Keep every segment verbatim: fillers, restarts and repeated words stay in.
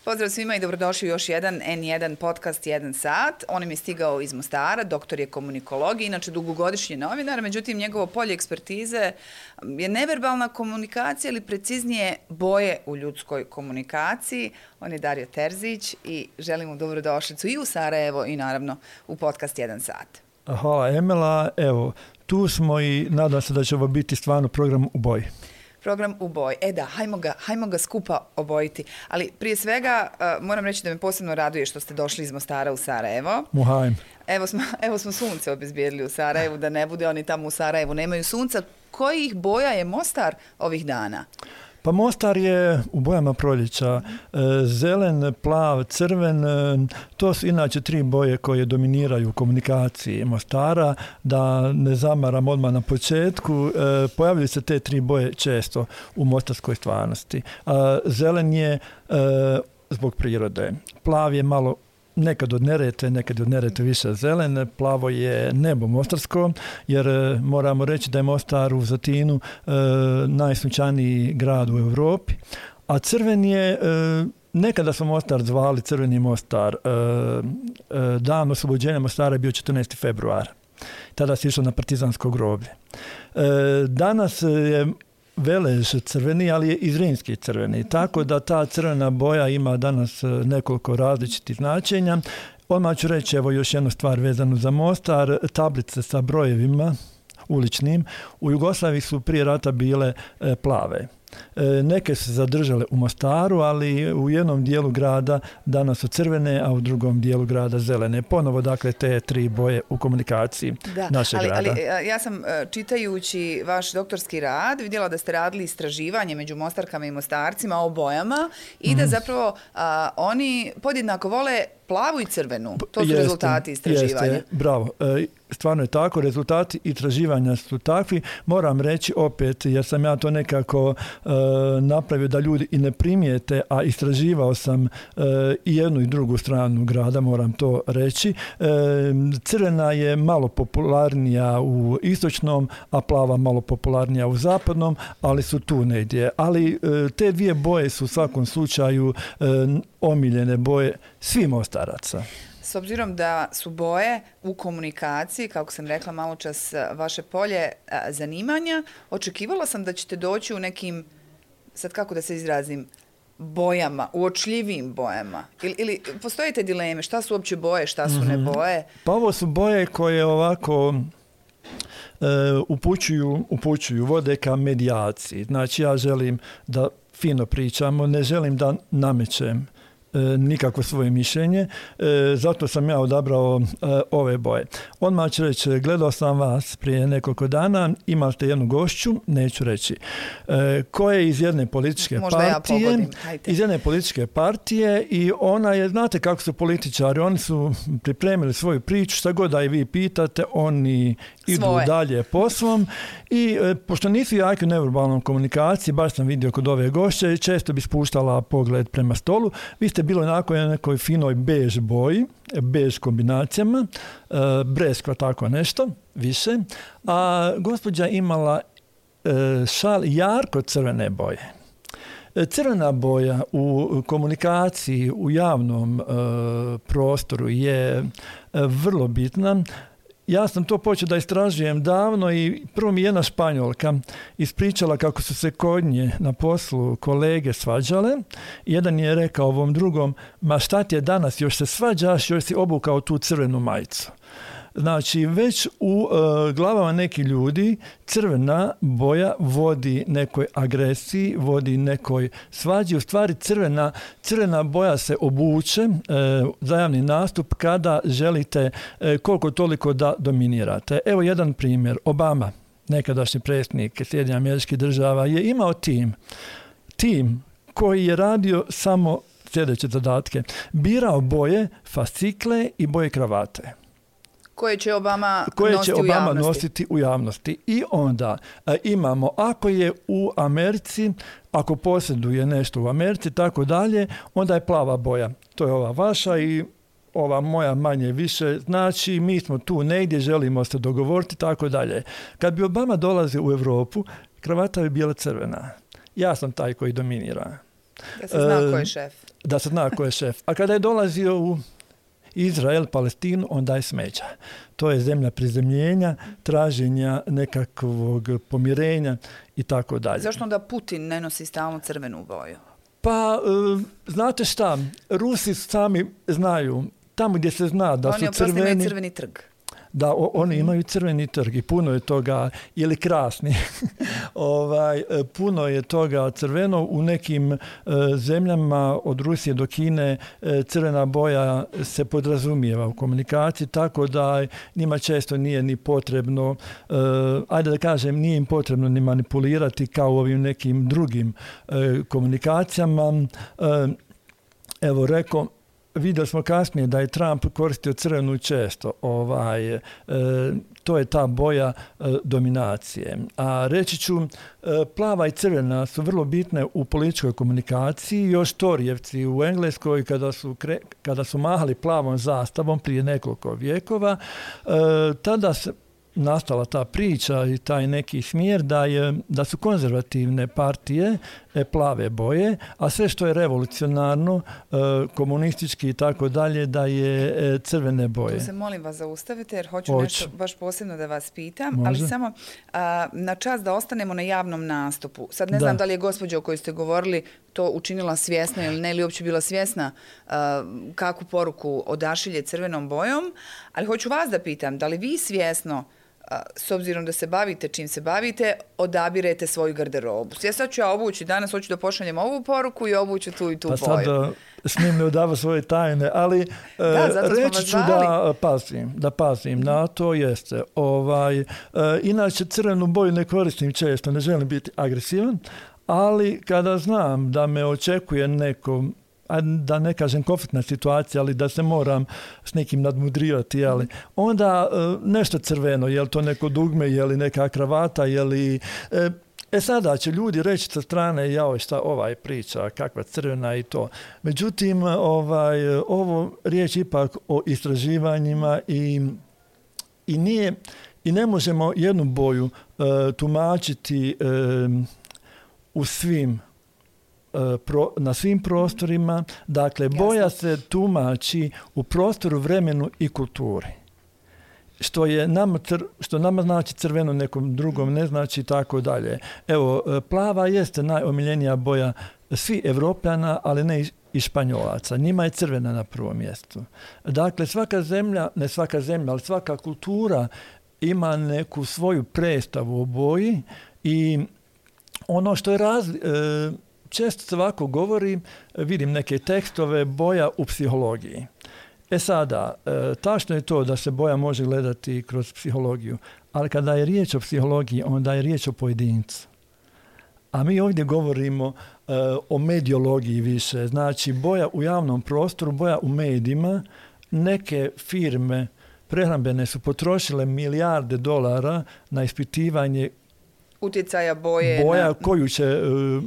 Pozdrav svima i dobrodošli u još jedan en jedan podcast jedan sat. On im je stigao iz Mostara, doktor je komunikolog, inače dugogodišnji novinar, međutim njegovo polje ekspertize je neverbalna komunikacija ili preciznije boje u ljudskoj komunikaciji. On je Dario Terzić i želim mu dobrodošlicu i u Sarajevo i naravno u podcast jedan sat. Hvala Emela, evo tu smo i nadam se da će ovo biti stvarno program u boji. Program u boji. E da, hajmo ga, hajmo ga skupa obojiti. Ali prije svega uh, moram reći da me posebno raduje što ste došli iz Mostara u Sarajevo. Muhajm. Evo smo, evo smo sunce obezbijedili u Sarajevu, da ne bude oni tamo u Sarajevu nemaju sunca. Kojih boja je Mostar ovih dana? Pa Mostar je u bojama proljeća, zelen, plav, crven, to su inače tri boje koje dominiraju u komunikaciji Mostara. Da ne zamaram odmah na početku, pojavljuju se te tri boje često u mostarskoj stvarnosti. Zelen je zbog prirode, plav je malo nekad od Neretve, nekad od Neretve više zelen, plavo je nebo mostarsko, jer moramo reći da je Mostar u Zatinu e, najsunčaniji grad u Europi, a crven je, e, nekada smo Mostar zvali Crveni Mostar, e, e, dan oslobođenja Mostara je bio četrnaesti februar, tada se išlo na partizansko groblje. E, danas je Velež crveni, ali je i Zrinski crveni. Tako da ta crvena boja ima danas nekoliko različitih značenja. Odmah ću reći evo još jednu stvar vezanu za Mostar. Tablice sa brojevima uličnim u Jugoslaviji su prije rata bile e, plave. E, neke su zadržale u Mostaru, ali u jednom dijelu grada danas su crvene, a u drugom dijelu grada zelene. Ponovo, dakle, te tri boje u komunikaciji da, našeg ali, grada. Ali ja sam čitajući vaš doktorski rad vidjela da ste radili istraživanje među Mostarkama i Mostarcima o bojama i da zapravo a, oni podjednako vole plavu i crvenu. To su jeste, rezultati istraživanja. Jeste, bravo. E, stvarno je tako. Rezultati istraživanja su takvi. Moram reći opet, jer sam ja to nekako e, napravio da ljudi i ne primijete, a istraživao sam e, i jednu i drugu stranu grada, moram to reći. E, crvena je malo popularnija u istočnom, a plava malo popularnija u zapadnom, ali su tu negdje. Ali e, te dvije boje su u svakom slučaju e, omiljene boje svih Mostaraca. S obzirom da su boje u komunikaciji, kako sam rekla malo čas, vaše polje a, zanimanja, očekivala sam da ćete doći u nekim, sad kako da se izrazim, bojama, uočljivim bojama. Ili, ili postoje te dileme, šta su uopće boje, šta su mm-hmm. ne boje? Pa ovo su boje koje ovako e, upućuju, upućuju, vode ka medijaciji. Znači ja želim da fino pričamo, ne želim da namećem E, nikako svoje mišljenje, e, zato sam ja odabrao e, ove boje. Odmah ću reći, gledao sam vas prije nekoliko dana, imate jednu gošću, neću reći, e, koja je iz jedne političke Možda partije, ja iz jedne političke partije i ona je, znate kako su političari, oni su pripremili svoju priču, šta god da i vi pitate, oni idu Svoje. dalje poslom i e, pošto nisu jaki u neverbalnom komunikaciji, baš sam vidio kod ove gošće, često bi spuštala pogled prema stolu, vi ste bilo onako na nekoj finoj bež boji, bež kombinacijama, e, breskva, tako nešto, više, a gospođa imala e, šal jarko crvene boje. E, crvena boja u komunikaciji, u javnom e, prostoru je e, vrlo bitna. Ja sam to počeo da istražujem davno i prvo mi jedna Španjolka ispričala kako su se kod nje na poslu kolege svađale. Jedan je rekao ovom drugom, ma šta ti je danas, još se svađaš, još si obukao tu crvenu majicu. Znači, već u uh, glavama nekih ljudi crvena boja vodi nekoj agresiji, vodi nekoj svađi. U stvari crvena, crvena boja se obuče uh, za javni nastup kada želite uh, koliko toliko da dominirate. Evo jedan primjer. Obama, nekadašnji predsjednik Sjedinjenih Američkih Država, je imao tim. Tim koji je radio samo sljedeće zadatke. Birao boje fascikle i boje kravate. Koje će Obama, koje nositi, će Obama u nositi u javnosti. I onda e, imamo, ako je u Americi, ako posjeduje nešto u Americi, tako dalje, onda je plava boja. To je ova vaša i ova moja manje više. Znači, mi smo tu negdje, želimo se dogovoriti, tako dalje. Kad bi Obama dolazio u Europu, kravata bi bila crvena. Ja sam taj koji dominira. Da se zna e, ko je šef. da se zna ko je šef. A kada je dolazio u Izrael, Palestinu, onda je smeća. To je zemlja prizemljenja, traženja nekakvog pomirenja i tako dalje. Zašto onda Putin ne nosi stalno crvenu boju? Pa, znate šta, Rusi sami znaju, tamo gdje se zna da oni su crveni... Oni imaju crveni trg. Da, o, oni imaju crveni trg i puno je toga, ili krasni, ovaj, puno je toga crveno. U nekim e, zemljama od Rusije do Kine e, crvena boja se podrazumijeva u komunikaciji, tako da njima često nije ni potrebno, e, ajde da kažem, nije im potrebno ni manipulirati kao u ovim nekim drugim e, komunikacijama. E, evo, rekao, vidjeli smo kasnije da je Trump koristio crvenu često. Ovaj, e, to je ta boja e, dominacije. A reći ću, e, plava i crvena su vrlo bitne u političkoj komunikaciji. Još Torijevci u Engleskoj, kada su, kre, kada su mahali plavom zastavom prije nekoliko vjekova, e, tada se nastala ta priča i taj neki smjer da, je, da su konzervativne partije e, plave boje, a sve što je revolucionarno, e, komunistički i tako dalje, da je e, crvene boje. Tu se molim vas zaustavite jer hoću Hoć. nešto baš posebno da vas pitam, Može. ali samo a, na čas da ostanemo na javnom nastupu. Sad ne Da. znam da li je gospođa o kojoj ste govorili to učinila svjesno ili ne, ili uopće bila svjesna a, kakvu poruku odašilje crvenom bojom, ali hoću vas da pitam, da li vi svjesno, s obzirom da se bavite čim se bavite, odabirete svoju garderobu. Ja sad ću ja obući, danas hoću da pošaljem ovu poruku i obuću tu i tu pa boju. sad smijem ne odavati svoje tajne, ali da, reći ću da pazim, da pazim mm-hmm. na to jeste. Ovaj, inače crvenu boju ne koristim često, ne želim biti agresivan, ali kada znam da me očekuje neko, da ne kažem konfliktna situacija, ali da se moram s nekim nadmudrivati, ali onda nešto crveno, je li to neko dugme, je li neka kravata, je li... E sada će ljudi reći sa strane, jao šta ovaj priča, kakva crvena i to. Međutim, ovaj, ovo riječ ipak o istraživanjima i, i nije, i ne možemo jednu boju uh, tumačiti uh, u svim Pro, na svim prostorima. Dakle, Jasno. boja se tumači u prostoru, vremenu i kulturi. Što, je nama, cr, što nama znači crveno, nekom drugom ne znači tako dalje. Evo, plava jeste najomiljenija boja svih Evropljana, ali ne i Španjolaca. Njima je crvena na prvom mjestu. Dakle, svaka zemlja, ne svaka zemlja, ali svaka kultura ima neku svoju predstavu o boji i ono što je razli... E, često se ovako govori, vidim neke tekstove, boja u psihologiji. E sada, tačno je to da se boja može gledati kroz psihologiju, ali kada je riječ o psihologiji, onda je riječ o pojedincu. A mi ovdje govorimo uh, o mediologiji više. Znači, boja u javnom prostoru, boja u medijima. Neke firme prehrambene su potrošile milijarde dolara na ispitivanje utjecaja boje. Boja na... koju će... Uh,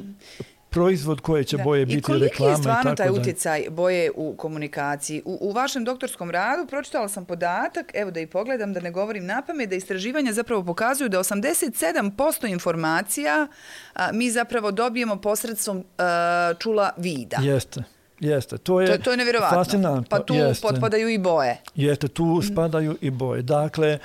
proizvod koje će da. boje biti reklame. I koliki je stvarno i tako taj da. utjecaj boje u komunikaciji? U, u vašem doktorskom radu pročitala sam podatak, evo da i pogledam, da ne govorim napamet, da istraživanja zapravo pokazuju da osamdeset sedam posto informacija a, mi zapravo dobijemo posredstvom a, čula vida. Jeste. Jeste, to je, to, to je nevjerovatno. Fascinantno. Pa tu Jeste. potpadaju i boje. Jeste, tu spadaju i boje. Dakle,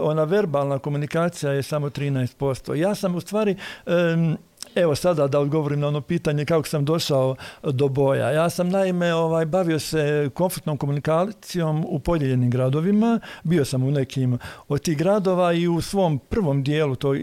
ona verbalna komunikacija je samo trinaest posto. Ja sam u stvari... Um, Evo sada da odgovorim na ono pitanje kako sam došao do boja. Ja sam naime ovaj, bavio se konfliktnom komunikacijom u podijeljenim gradovima. Bio sam u nekim od tih gradova i u svom prvom dijelu tog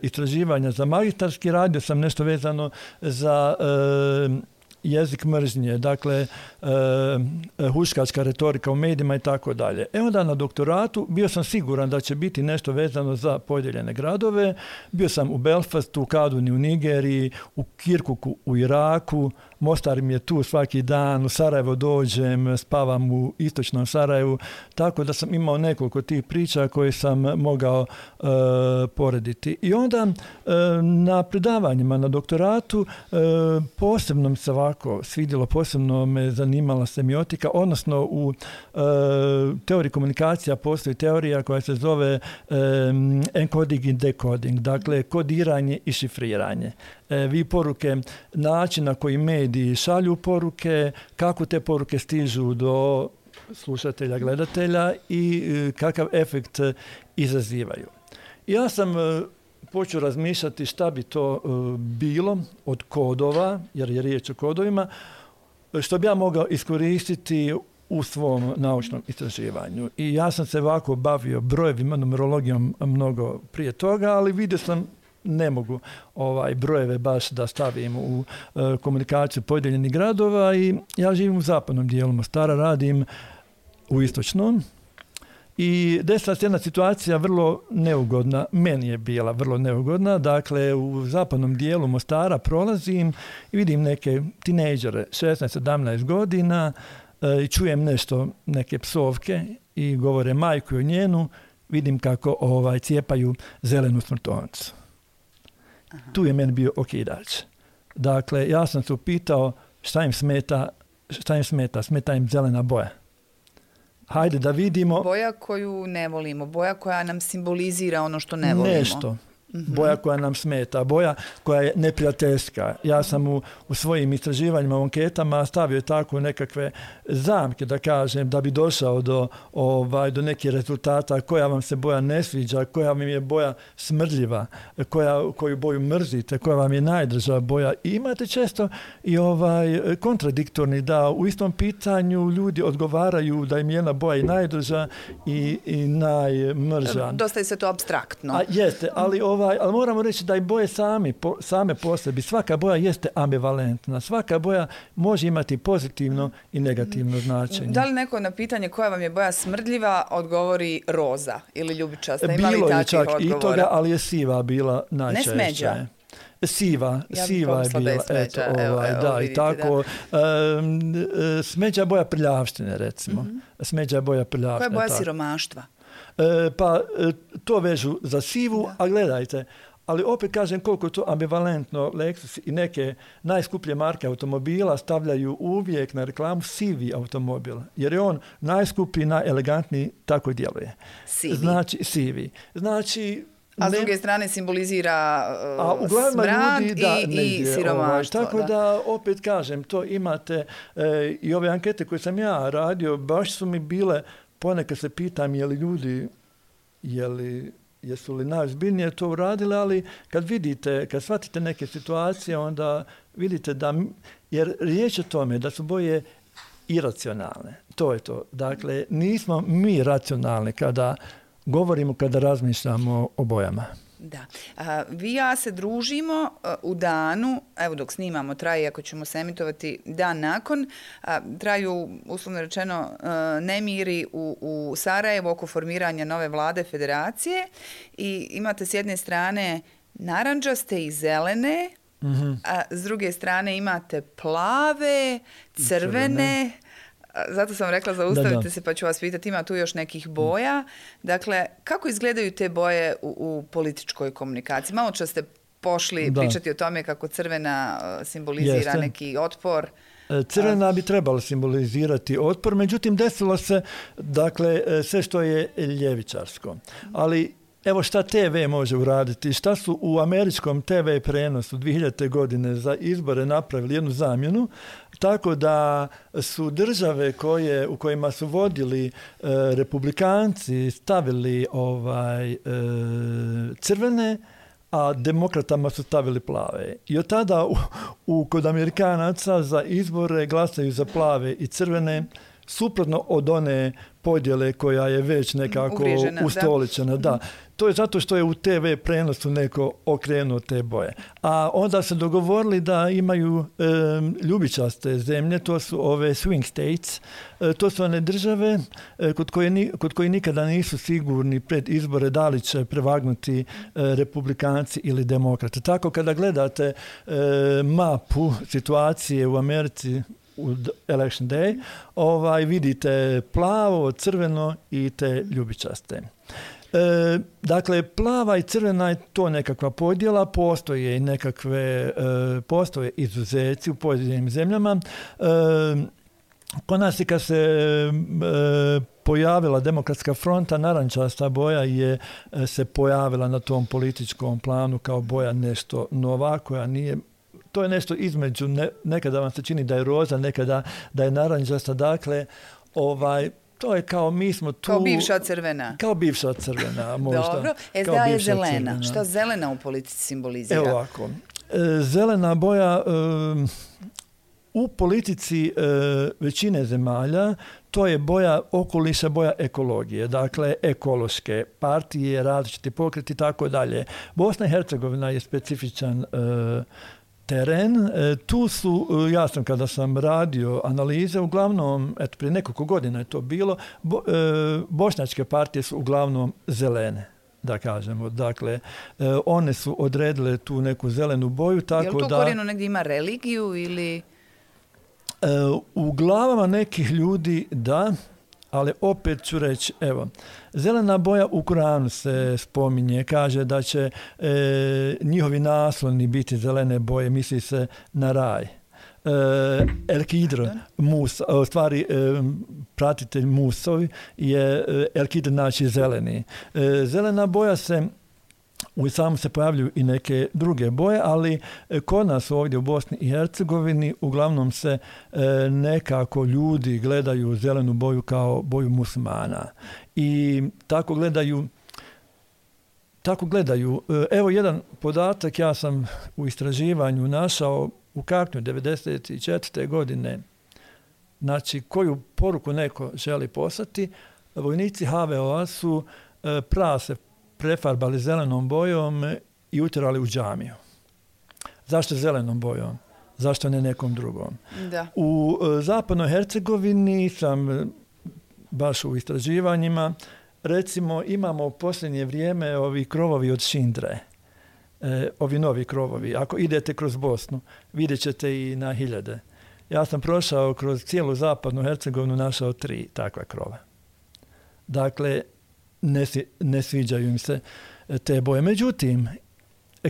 istraživanja za magistarski radio sam nešto vezano za e, jezik mržnje, dakle e, huškačka retorika u medijima i tako dalje. E onda na doktoratu bio sam siguran da će biti nešto vezano za podijeljene gradove. Bio sam u Belfastu, u Kaduni u Nigeriji, u Kirkuku u Iraku, Mostar mi je tu svaki dan, u Sarajevo dođem, spavam u istočnom Sarajevu, tako da sam imao nekoliko tih priča koje sam mogao e, porediti. I onda e, na predavanjima na doktoratu e, posebno mi se ovako svidjelo, posebno me zanimala semiotika, odnosno u e, teoriji komunikacija postoji teorija koja se zove e, encoding i decoding, dakle kodiranje i šifriranje. vi poruke, način na koji mediji šalju poruke, kako te poruke stižu do slušatelja, gledatelja i kakav efekt izazivaju. Ja sam počeo razmišljati šta bi to bilo od kodova, jer je riječ o kodovima, što bi ja mogao iskoristiti u svom naučnom istraživanju. I ja sam se ovako bavio brojevima, numerologijom mnogo prije toga, ali vidio sam ne mogu ovaj brojeve baš da stavim u e, komunikaciju podijeljenih gradova i ja živim u zapadnom dijelu Mostara, radim u istočnom i desila se jedna situacija vrlo neugodna, meni je bila vrlo neugodna, dakle u zapadnom dijelu Mostara prolazim i vidim neke tinejdžere, šesnaest sedamnaest godina e, i čujem nešto, neke psovke i govore majku o njenu, vidim kako ovaj cijepaju zelenu smrtovnicu. Aha. Tu je meni bio okidač. Dakle, ja sam se upitao šta im smeta, šta im smeta, smeta im zelena boja. Hajde da vidimo. Boja koju ne volimo, boja koja nam simbolizira ono što ne volimo. Nešto. Boja koja nam smeta, boja koja je neprijateljska. Ja sam u, u svojim istraživanjima, u anketama stavio tako nekakve zamke, da kažem, da bi došao do, ovaj, do nekih rezultata, koja vam se boja ne sviđa, koja vam je boja smrdljiva, koja, koju boju mrzite, koja vam je najdrža boja. I imate često i ovaj kontradiktorni, da u istom pitanju ljudi odgovaraju da im je jedna boja i najdrža i, i najmrža. Dosta je sve to apstraktno. A, jeste, ali ovaj Ovaj, ali moramo reći da i boje sami, po, same po sebi, svaka boja jeste ambivalentna. Svaka boja može imati pozitivno i negativno značenje. Da li neko na pitanje koja vam je boja smrdljiva odgovori roza ili ljubičasta? Ima Bilo li je čak odgovora? I toga, ali je siva bila najčešće. Ne smeđa? Siva, ja siva je bila. Je smeđa, eto, evo, ovaj, evo, da, vidite, i tako. Da. Um, smeđa boja prljavštine, recimo. Mm-hmm. Smeđa boja prljavštine. Koja je boja tako. siromaštva? E, pa to vežu za sivu, da. A gledajte, ali opet kažem koliko je to ambivalentno. Lexus i neke najskuplje marke automobila stavljaju uvijek na reklamu sivi automobil. Jer je on najskuplji, najelegantniji, tako djeluje. Sivi. Znači, sivi. Znači, a s druge strane simbolizira uh, smrad ljudi, da, i, negdje, i siromaštvo. Ovaj, tako da. da, opet kažem, to imate e, i ove ankete koje sam ja radio, baš su mi bile, ponekad se pitam je li ljudi, je li jesu li najozbiljnije to uradili, ali kad vidite, kad shvatite neke situacije, onda vidite da, jer riječ je o tome da su boje iracionalne. To je to. Dakle, nismo mi racionalni kada govorimo, kada razmišljamo o bojama. Da. A, vi i ja se družimo a, u danu, evo dok snimamo, traje, ako ćemo se emitovati dan nakon, a, traju, uslovno rečeno, a, nemiri u, u Sarajevu oko formiranja nove vlade federacije i imate s jedne strane narandžaste i zelene, mm-hmm. a s druge strane imate plave, crvene, zato sam rekla zaustavite da, da. se pa ću vas pitati, ima tu još nekih boja. Dakle, kako izgledaju te boje u, u političkoj komunikaciji? Malo čas ste pošli da. pričati o tome kako crvena simbolizira Jeste. neki otpor. Crvena bi trebala simbolizirati otpor, međutim desilo se, dakle, sve što je ljevičarsko. Ali evo šta te ve može uraditi, šta su u američkom te ve prenosu dvije hiljadite godine za izbore napravili jednu zamjenu, tako da su države koje, u kojima su vodili e, republikanci stavili ovaj, e, crvene, a demokratama su stavili plave. I od tada u, u, kod Amerikanaca za izbore glasaju za plave i crvene, suprotno od one podjele koja je već nekako Uvriježena, ustoličena. Da. Da. To je zato što je u te ve prenosu neko okrenuo te boje. A onda se dogovorili da imaju e, ljubičaste zemlje, to su ove swing states, e, to su one države e, kod, koje, kod koje nikada nisu sigurni pred izbore da li će prevagnuti e, republikanci ili demokrate. Tako kada gledate e, mapu situacije u Americi u election day, ovaj, vidite plavo, crveno i te ljubičaste. E, dakle, plava i crvena je to nekakva podjela, postoje i nekakve, e, postoje izuzeci u pojedinim zemljama. E, kod nas i kad se e, pojavila Demokratska fronta, narančasta boja je se pojavila na tom političkom planu kao boja nešto nova, koja nije, to je nešto između, ne, nekada vam se čini da je roza, nekada da je narančasta, dakle, ovaj, to je kao mi smo tu... Kao bivša crvena. Kao bivša crvena, možda. Dobro, S D A je zelena. Crvena. Šta zelena u politici simbolizira? Evo ovako. Zelena boja u politici većine zemalja, to je boja okoliša, boja ekologije. Dakle, ekološke partije, različiti pokreti i tako dalje. Bosna i Hercegovina je specifičan teren. Tu su, ja sam kada sam radio analize, uglavnom, eto prije nekoliko godina je to bilo, bo, e, bošnjačke partije su uglavnom zelene, da kažemo. Dakle, e, one su odredile tu neku zelenu boju, tako da... Je li to da, korijenu negdje ima religiju ili... E, u glavama nekih ljudi da, ali opet ću reći, evo, zelena boja u Kuranu se spominje, kaže da će e, njihovi nasloni biti zelene boje, misli se na raj. E, El-Kidr, mus, u stvari e, pratitelj Musovi je El-Kidr, znači zeleni. E, zelena boja se u islamu se pojavljuju i neke druge boje, ali kod nas ovdje u Bosni i Hercegovini uglavnom se e, nekako ljudi gledaju zelenu boju kao boju muslimana. I tako gledaju tako gledaju. Evo jedan podatak, ja sam u istraživanju našao u Kaknju devedeset četvrte godine, znači koju poruku neko želi poslati, vojnici H V O-a su e, prase prefarbali zelenom bojom i utjerali u džamiju. Zašto zelenom bojom? Zašto ne nekom drugom? Da. U e, zapadnoj Hercegovini sam baš u istraživanjima, recimo imamo u posljednje vrijeme ovi krovovi od šindre. E, ovi novi krovovi. Ako idete kroz Bosnu, vidjet ćete i na hiljade. Ja sam prošao kroz cijelu zapadnu Hercegovinu, našao tri takva krova. Dakle, Ne, ne sviđaju im se te boje. Međutim,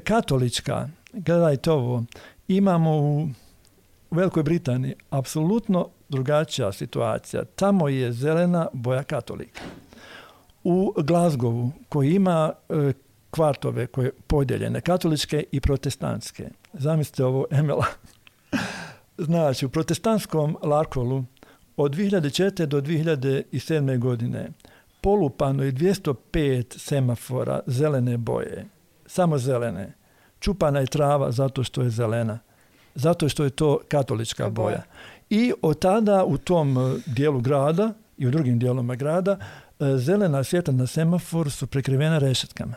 katolička, gledajte ovo, imamo u Velikoj Britaniji apsolutno drugačija situacija. Tamo je zelena boja katolika. U Glasgowu, koji ima e, kvartove koje podijeljene, katoličke i protestantske. Zamislite ovo, Emela. Znači, u protestantskom Larkolu od dvije hiljade četvrte do dvije hiljade sedme godine polupano je dvjesto pet semafora zelene boje, samo zelene. Čupana je trava zato što je zelena, zato što je to katolička boja. I od tada u tom dijelu grada i u drugim dijelovima grada zelena svjetla na semaforu su prekrivena rešetkama.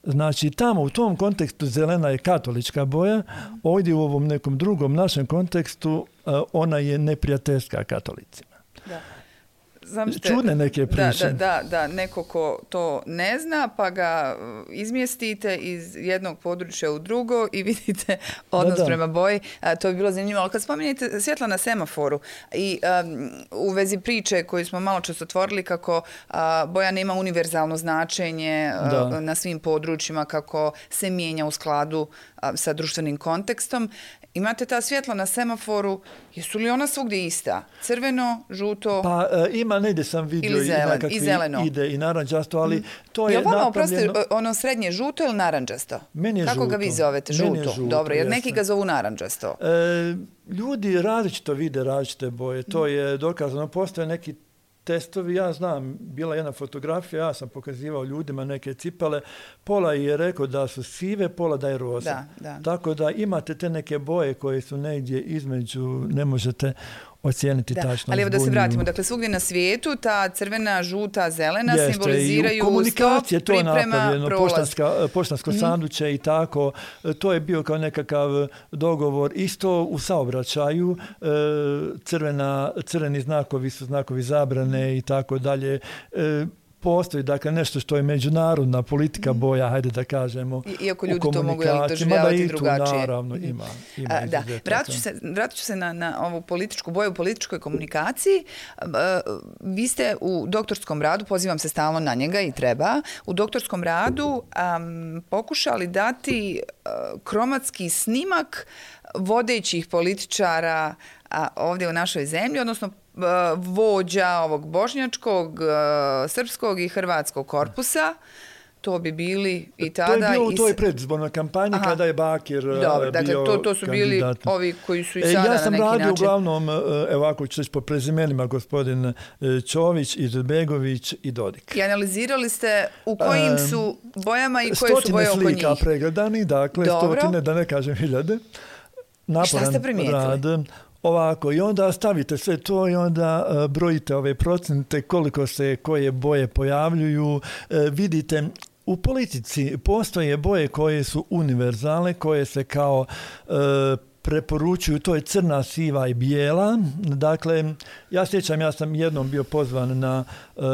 Znači tamo u tom kontekstu zelena je katolička boja, ovdje u ovom nekom drugom našem kontekstu ona je neprijateljska katolicima. Da. Zamislite, čudne neke priče. Da, da, da, neko ko to ne zna, pa ga izmjestite iz jednog područja u drugo i vidite odnos da, da. prema boji. A, to bi bilo zanimljivo. Ali kad spominjete svjetla na semaforu i um, u vezi priče koju smo malo čas otvorili kako a, boja nema univerzalno značenje a, na svim područjima, kako se mijenja u skladu a, sa društvenim kontekstom. Imate ta svjetla na semaforu, jesu li ona svugdje ista? Crveno, žuto? Pa e, ima, negdje sam vidio zelen, i, i zeleno. Ide i naranđasto, ali mm. to je, je vama, napravljeno... Oprosti, ono srednje žuto ili naranđasto? Meni je Kako žuto. ga vi zovete? Žuto. žuto. Dobro, jer jeste. neki ga zovu naranđasto. E, ljudi različito vide različite boje. To je dokazano. Postoje neki testovi, ja znam, bila jedna fotografija, ja sam pokazivao ljudima neke cipele, pola je rekao da su sive, pola da je roza. Da, da. Tako da imate te neke boje koje su negdje između, ne možete ocijeniti da. tačno. Ali evo da se vratimo, dakle svugdje na svijetu ta crvena, žuta, zelena Jeste, simboliziraju i u komunikacije stop, to je priprema, napravljeno, prolaz. poštanska, poštansko mm. sanduče i tako. To je bio kao nekakav dogovor. Isto u saobraćaju crvena, crveni znakovi su znakovi zabrane i tako dalje. Postoji dakle nešto što je međunarodna politika boja, hajde da kažemo. Iako ljudi to mogu doživljavati drugačije. Naravno, ima. ima A, da. Vratit ću se, vratit ću se na, na ovu političku boju u političkoj komunikaciji. Vi ste u doktorskom radu, pozivam se stalno na njega i treba, u doktorskom radu um, pokušali dati uh, kromatski snimak vodećih političara a, ovdje u našoj zemlji, odnosno vođa ovog bošnjačkog, srpskog i hrvatskog korpusa. To bi bili i tada... To je bilo u i... toj predizbornoj kampanji Aha. kada je Bakir Dobre, bio dakle, to, to su kandidat. Bili ovi koji su i sada e, ja sam na neki radio način... uglavnom, evo ako ću reći po prezimenima, gospodin Čović, Izetbegović i Dodik. I analizirali ste u kojim su bojama i koje su boje oko njih? Stotine slika pregledani, dakle Dobro. stotine, da ne kažem hiljade. Naporan Šta ste primijetili? Rad. Ovako, i onda stavite sve to i onda uh, brojite ove procente, koliko se koje boje pojavljuju. Uh, vidite, u politici postoje boje koje su univerzalne, koje se kao uh, preporučuju, to je crna, siva i bijela. Dakle, ja sjećam, ja sam jednom bio pozvan na uh,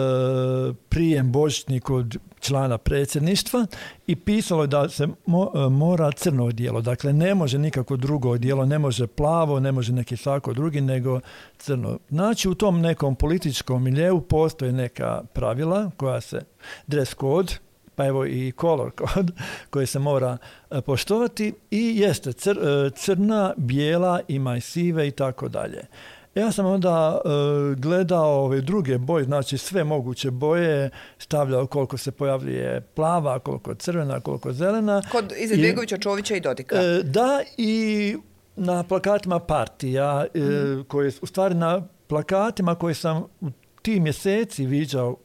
prijem božićni kod člana predsjedništva i pisalo je da se mo, mora crno odijelo. Dakle, ne može nikako drugo odijelo, ne može plavo, ne može neki svako drugi, nego crno. Znači, u tom nekom političkom miljeu postoje neka pravila koja se, dress code, pa evo i color code koji se mora poštovati i jeste cr, crna, bijela, ima i sive i tako dalje. Ja sam onda uh, gledao ove druge boje, znači sve moguće boje, stavljao koliko se pojavljuje plava, koliko crvena, koliko zelena. Kod Izetbegovića, Čovića i Dodika. Uh, da, i na plakatima partija, mm. uh, koje, u stvari na plakatima koje sam u ti mjeseci viđao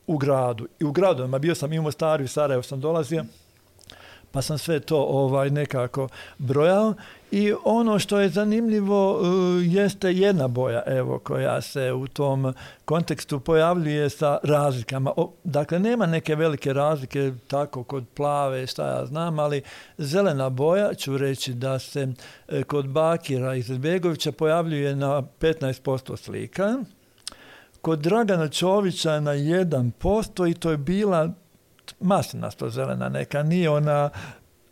u gradu i u gradovima, bio sam i u Mostaru i Sarajevo sam dolazio, pa sam sve to ovaj nekako brojao i ono što je zanimljivo uh, jeste jedna boja evo koja se u tom kontekstu pojavljuje sa razlikama. O, dakle, nema neke velike razlike tako kod plave, šta ja znam, ali zelena boja, ću reći da se eh, kod Bakira i Izetbegovića pojavljuje na petnaest posto slika, kod Dragana Čovića na jedan posto i to je bila maslinasto zelena neka, nije ona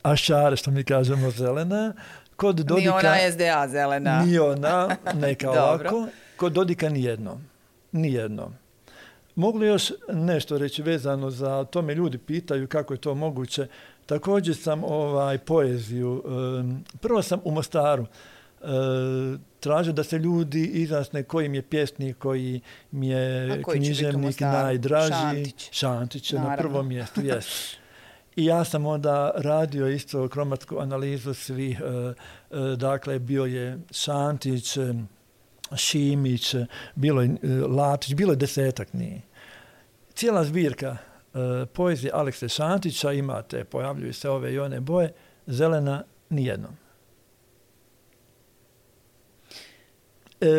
ašare što mi kažemo zelena. Kod Dodika, nije ona S D A zelena. Nije ona neka ovako. Kod Dodika nijedno. Nijedno. Mogu li još nešto reći vezano za to, me ljudi pitaju kako je to moguće. Također sam ovaj poeziju, prvo sam u Mostaru tražio da se ljudi izjasne koji mi je pjesnik, koji mi je književnik najdraži. Šantić. Šantić je na prvom mjestu, jes. I ja sam onda radio isto kromatsku analizu svih, dakle bio je Šantić, Šimić, bilo je Latić, bilo je desetak nije. Cijela zbirka poezije Alekse Šantića, imate, pojavljuju se ove i one boje, zelena nijednom.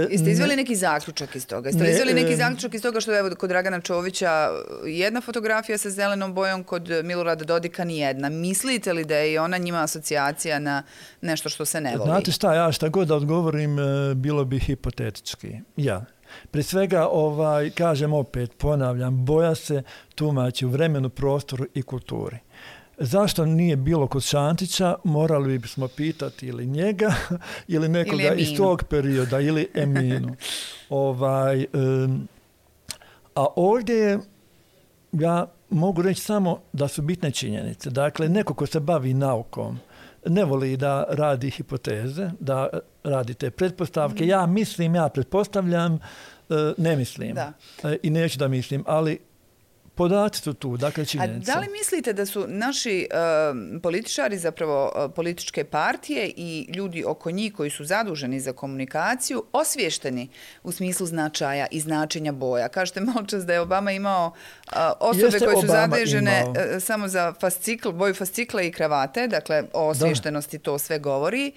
Jeste izveli neki zaključak iz toga? Jeste izveli neki zaključak iz toga što je kod Dragana Čovića jedna fotografija sa zelenom bojom, kod Milorada Dodika nijedna? Mislite li da je ona njima asocijacija na nešto što se ne voli? Znate šta, ja šta god da odgovorim, bilo bi hipotetički. Ja. Prije svega, ovaj, kažem opet, ponavljam, boja se tumači u vremenu, prostoru i kulturi. Zašto nije bilo kod Šantića, morali bismo pitati ili njega ili nekoga ili iz tog perioda ili Eminu. ovaj, um, a ovdje ja mogu reći samo da su bitne činjenice. Dakle, neko ko se bavi naukom ne voli da radi hipoteze, da radi te pretpostavke. Mm. Ja mislim, ja pretpostavljam, ne mislim da. I neću da mislim, ali podaci su tu, dakle činjenice. A da li mislite da su naši uh, političari, zapravo uh, političke partije i ljudi oko njih koji su zaduženi za komunikaciju osviješteni u smislu značaja i značenja boja? Kažete malo čas da je Obama imao uh, osobe Jeste koje su zadužene uh, samo za fascikl, boju fascikla i kravate, dakle o osviještenosti da. To sve govori.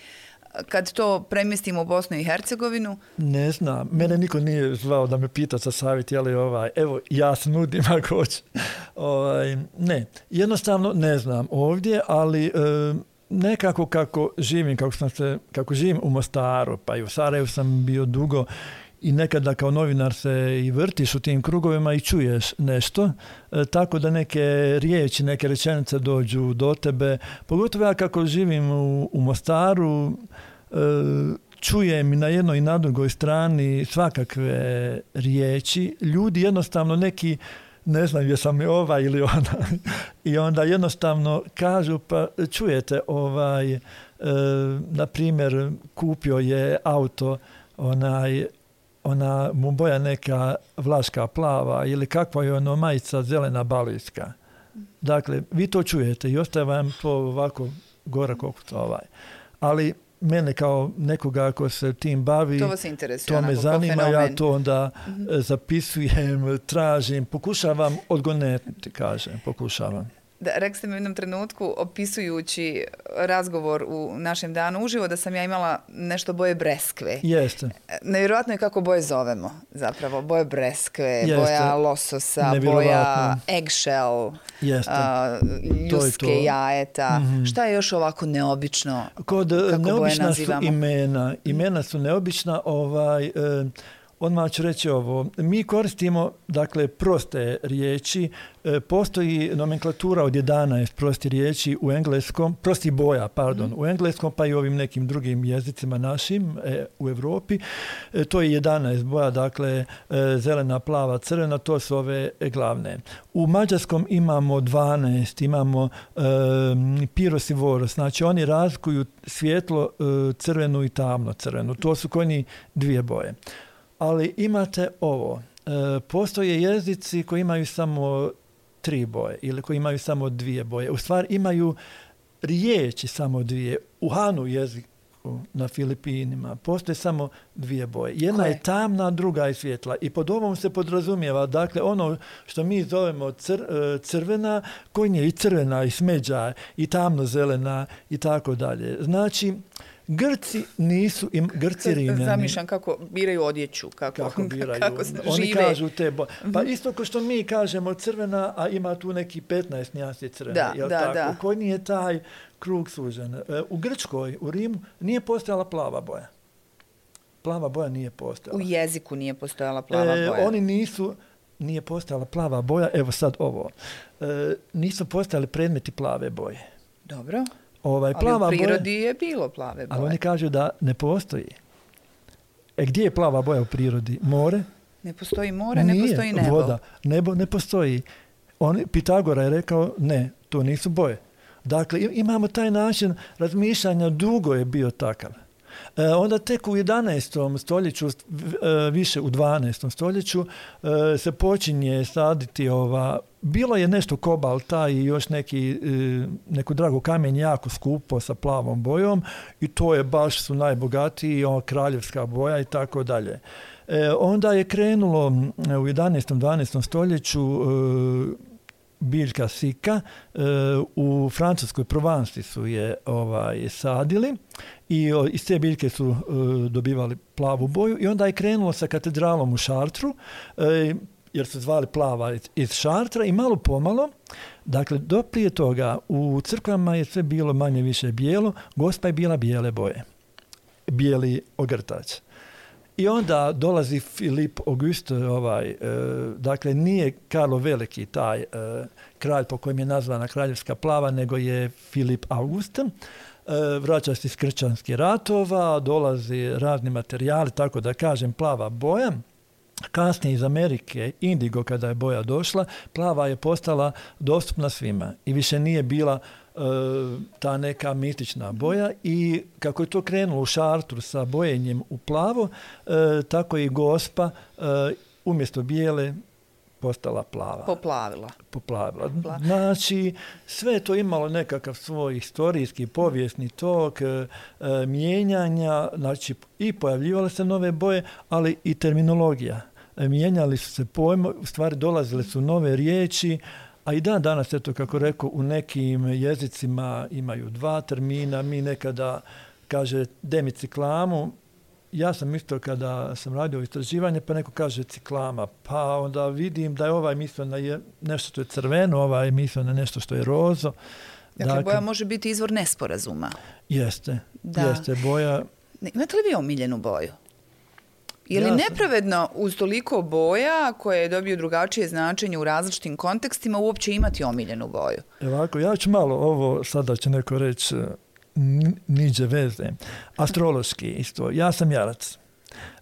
Kad to premjestimo u Bosnu i Hercegovinu? Ne znam. Mene niko nije zvao da me pita sa savjet, jeli ovaj, evo, ja se nudim ako hoće. Ovaj, ne, jednostavno ne znam ovdje, ali e, nekako kako živim, kako, sam se, kako živim u Mostaru, pa i u Sarajevu sam bio dugo i nekada kao novinar se i vrtiš u tim krugovima i čuješ nešto, e, tako da neke riječi, neke rečenice dođu do tebe. Pogotovo ja kako živim u, u Mostaru, e, čujem i na jednoj i na drugoj strani svakakve riječi. Ljudi jednostavno neki, ne znam jesam li ova ili ona, i onda jednostavno kažu, pa čujete, ovaj, e, na primjer, kupio je auto onaj ona mu boja neka vlaška plava ili kakva je ono majica zelena balijska. Dakle, vi to čujete i ostaje vam to ovako gora kokuca ovaj. Ali mene kao nekoga ko se tim bavi, to, vas interesuje, to me zanima, ja to onda mm-hmm. zapisujem, tražim, pokušavam odgonetiti, kažem, pokušavam. Da, rekli ste mi u jednom trenutku, opisujući razgovor u našem danu uživo, da sam ja imala nešto boje breskve. Jeste. Nevjerojatno je kako boje zovemo, zapravo. Boje breskve, Jeste. boja lososa, boja eggshell, a, ljuske, to to. jajeta. Mm-hmm. Šta je još ovako neobično? Kod kako neobična boje nazivamo? Su imena. Imena su neobična. Ovaj... E, Odmah ću reći ovo, mi koristimo dakle proste riječi, e, postoji nomenklatura od jedanaest prosti riječi u engleskom, prosti boja, pardon, mm. u engleskom pa i ovim nekim drugim jezicima našim e, u Europi, e, to je jedanaest boja, dakle e, zelena, plava, crvena, to su ove glavne. U mađarskom imamo dvanaest, imamo e, piros i voros, znači oni razlikuju svjetlo, e, crvenu i tamno crvenu, to su kojni dvije boje. Ali imate ovo, e, postoje jezici koji imaju samo tri boje ili koji imaju samo dvije boje. U stvari imaju riječi samo dvije. U Hanu jeziku na Filipinima postoje samo dvije boje. Jedna Koje? je tamna, druga je svjetla. I pod ovom se podrazumijeva, dakle, ono što mi zovemo cr, crvena, koji je i crvena, i smeđa, i tamno zelena, i tako dalje. Znači, Grci nisu, im, Grci Rimljani. Zamišljam kako biraju odjeću, kako, kako biraju. Kako Oni žive. kažu te boje. Pa isto kao što mi kažemo crvena, a ima tu neki petnaest nijansi crvene. Da, jel da, tako? da. Koji nije taj krug sužen. U Grčkoj, u Rimu, nije postojala plava boja. Plava boja nije postojala. U jeziku nije postojala plava e, boja. Oni nisu, nije postojala plava boja, evo sad ovo. E, nisu postojali predmeti plave boje. Dobro. Ovaj, plava ali u prirodi boja, je bilo plave boje. Ali oni kažu da ne postoji. E gdje je plava boja u prirodi? More? Ne postoji more, Nije, ne postoji nebo. Voda. Nebo ne postoji. On, Pitagora je rekao, ne, to nisu boje. Dakle, imamo taj način razmišljanja, dugo je bio takav. E, onda tek u jedanaestom stoljeću, više u dvanaestom stoljeću, e, se počinje saditi ova, bilo je nešto kobalta i još neki, e, neku dragu kamen jako skupo sa plavom bojom i to je baš su najbogatiji, o, kraljevska boja i tako dalje. E, onda je krenulo u jedanaestom dvanaestom stoljeću e, biljka sika, e, u francuskoj Provansi su je ovaj, sadili i o, iz te biljke su e, dobivali plavu boju i onda je krenulo sa katedralom u Šartru, e, jer su zvali plava iz, iz Šartra i malo pomalo, dakle do prije toga u crkvama je sve bilo manje više bijelo, Gospa je bila bijele boje, bijeli ogrtač. I onda dolazi Filip August, ovaj, e, dakle nije Karlo Veliki taj e, kralj po kojem je nazvana kraljevska plava, nego je Filip August. E, vraća se iz kršćanskih ratova, dolazi razni materijali, tako da kažem plava boja. Kasnije iz Amerike, indigo kada je boja došla, plava je postala dostupna svima i više nije bila e, ta neka mistična boja i kako je to krenulo u Šartru sa bojenjem u plavo, e, tako i Gospa e, umjesto bijele postala plava. Poplavila. Poplavila. Znači, sve je to imalo nekakav svoj historijski, povijesni tok, e, mijenjanja, znači i pojavljivale se nove boje, ali i terminologija. E, mijenjali su se pojmo, u stvari dolazile su nove riječi, a i dan danas, eto kako rekao, u nekim jezicima imaju dva termina, mi nekada kaže demiciklamu, ja sam isto kada sam radio istraživanje, pa neko kaže ciklama, pa onda vidim da je ovaj mislio na je nešto što je crveno, ovaj mislio na nešto što je rozo. Dakle, dakle boja može biti izvor nesporazuma. Jeste, da. jeste boja. Imate li vi omiljenu boju? Je li ja nepravedno uz toliko boja koje dobiju drugačije značenje u različitim kontekstima uopće imati omiljenu boju? Ovako, ja ću malo ovo, sada će neko reći, niđe veze. Astrološki isto. Ja sam jarac.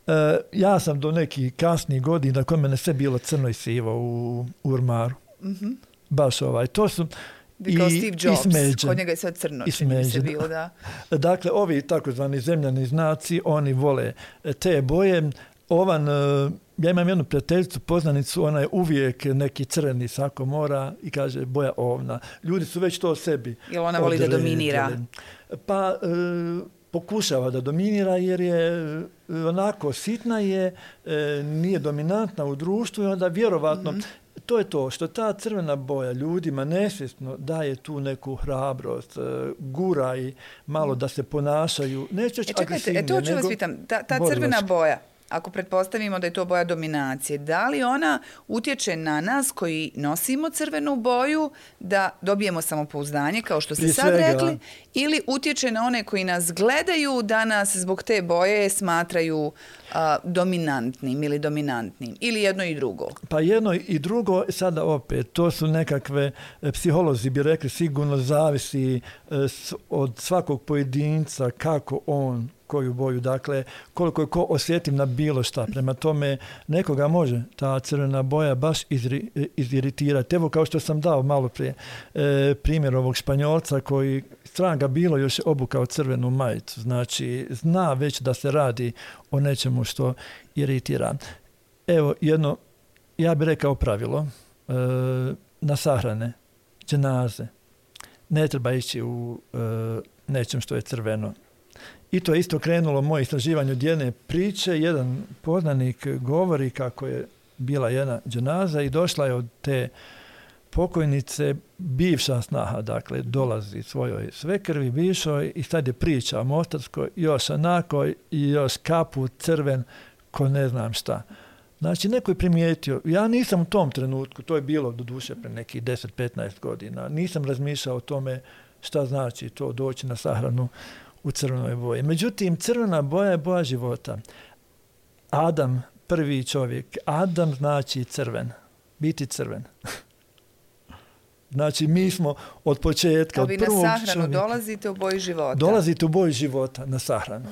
E, ja sam do nekih kasnih godina, kod mene sve bilo crno i sivo u, u ormaru. Mm-hmm. Baš ovaj. To su i, kao Steve Jobs, kod njega je sve crno. I se bilo, da. Dakle, ovi takozvani zemljani znaci, oni vole te boje. Ovan, ja imam jednu prijateljicu, poznanicu, ona je uvijek neki crveni sako mora i kaže boja ovna. Ljudi su već to o sebi. Jel ona voli da dominira? Pa e, pokušava da dominira jer je onako sitna je, e, nije dominantna u društvu i onda vjerovatno mm-hmm. to je to što ta crvena boja ljudima nesvjesno daje tu neku hrabrost, gura i malo da se ponašaju. Neću e, čekajte, e, to ću vas pitam, ta, ta crvena boja, ako pretpostavimo da je to boja dominacije, da li ona utječe na nas koji nosimo crvenu boju da dobijemo samopouzdanje, kao što ste Prije sad svega. rekli, ili utječe na one koji nas gledaju da nas zbog te boje smatraju a, dominantnim ili dominantnim, ili jedno i drugo? Pa jedno i drugo, sada opet, to su nekakve, psiholozi bi rekli, sigurno zavisi od svakog pojedinca kako on koju boju, dakle, koliko je ko osjetim na bilo šta. Prema tome, nekoga može ta crvena boja baš izri, iziritirati. Evo, kao što sam dao malo prije e, primjer ovog Španjolca koji stran ga bilo još obukao crvenu majicu. Znači, zna već da se radi o nečemu što iritira. Evo, jedno, ja bih rekao pravilo, e, na sahrane, dženaze, ne treba ići u e, nečem što je crveno. I to je isto krenulo moje istraživanje od jedne priče. Jedan poznanik govori kako je bila jedna dženaza i došla je od te pokojnice bivša snaha, dakle, dolazi svojoj svekrvi bivšoj i sad je priča o Mostarskoj, još onako i još kaput crven ko ne znam šta. Znači, neko je primijetio, ja nisam u tom trenutku, to je bilo doduše pre nekih deset do petnaest godina, nisam razmišljao o tome šta znači to doći na sahranu u crvenoj boji. Međutim, crvena boja je boja života. Adam, prvi čovjek, Adam znači crven, biti crven. Znači, mi smo od početka, od prvog čovjeka... A vi na sahranu čovjeka, dolazite u boji života. Dolazite u boji života na sahranu.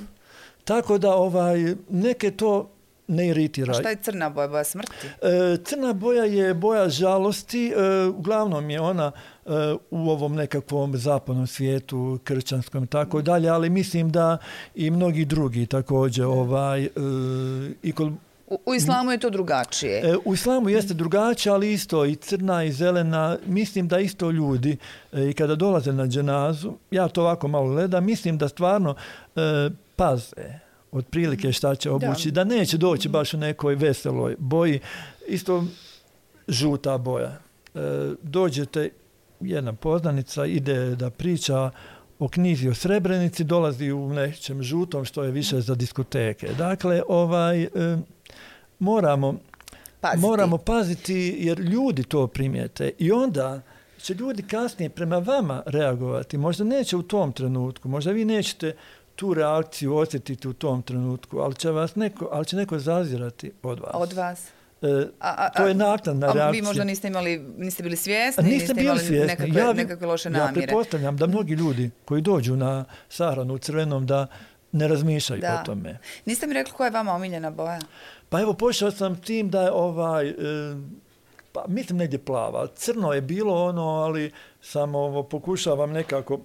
Tako da ovaj, neke to ne iritira. A šta je crna boja? Boja smrti? E, crna boja je boja žalosti. E, uglavnom je ona e, u ovom nekakvom zapadnom svijetu, kršćanskom i tako dalje, ali mislim da i mnogi drugi također ovaj, e, i kod U, u islamu je to drugačije. E, u islamu jeste drugačije, ali isto i crna i zelena. Mislim da isto ljudi e, i kada dolaze na dženazu, ja to ovako malo gledam, mislim da stvarno e, paze otprilike šta će obući, da. da neće doći baš u nekoj veseloj boji. Isto žuta boja. E, dođete, jedna poznanica ide da priča o knjizi o Srebrenici, dolazi u nečem žutom što je više za diskoteke. Dakle, ovaj... E, Moramo paziti. moramo paziti jer ljudi to primijete i onda će ljudi kasnije prema vama reagovati. Možda neće u tom trenutku, možda vi nećete tu reakciju osjetiti u tom trenutku, ali će, vas neko, ali će neko zazirati od vas. Od vas? E, a, a, to je naknadna reakcija. A vi možda niste imali, niste bili svjesni, niste, niste bili imali svjesni. nekakve, ja, nekakve loše namjere. Ja pretpostavljam da mnogi ljudi koji dođu na sahranu u crvenom da ne razmišljaju da. o tome. Niste mi rekli koja je vama omiljena boja? Pa evo, počeo sam tim da je ovaj, e, pa mislim negdje plava. Crno je bilo ono, ali sam ovo, pokušavam nekako,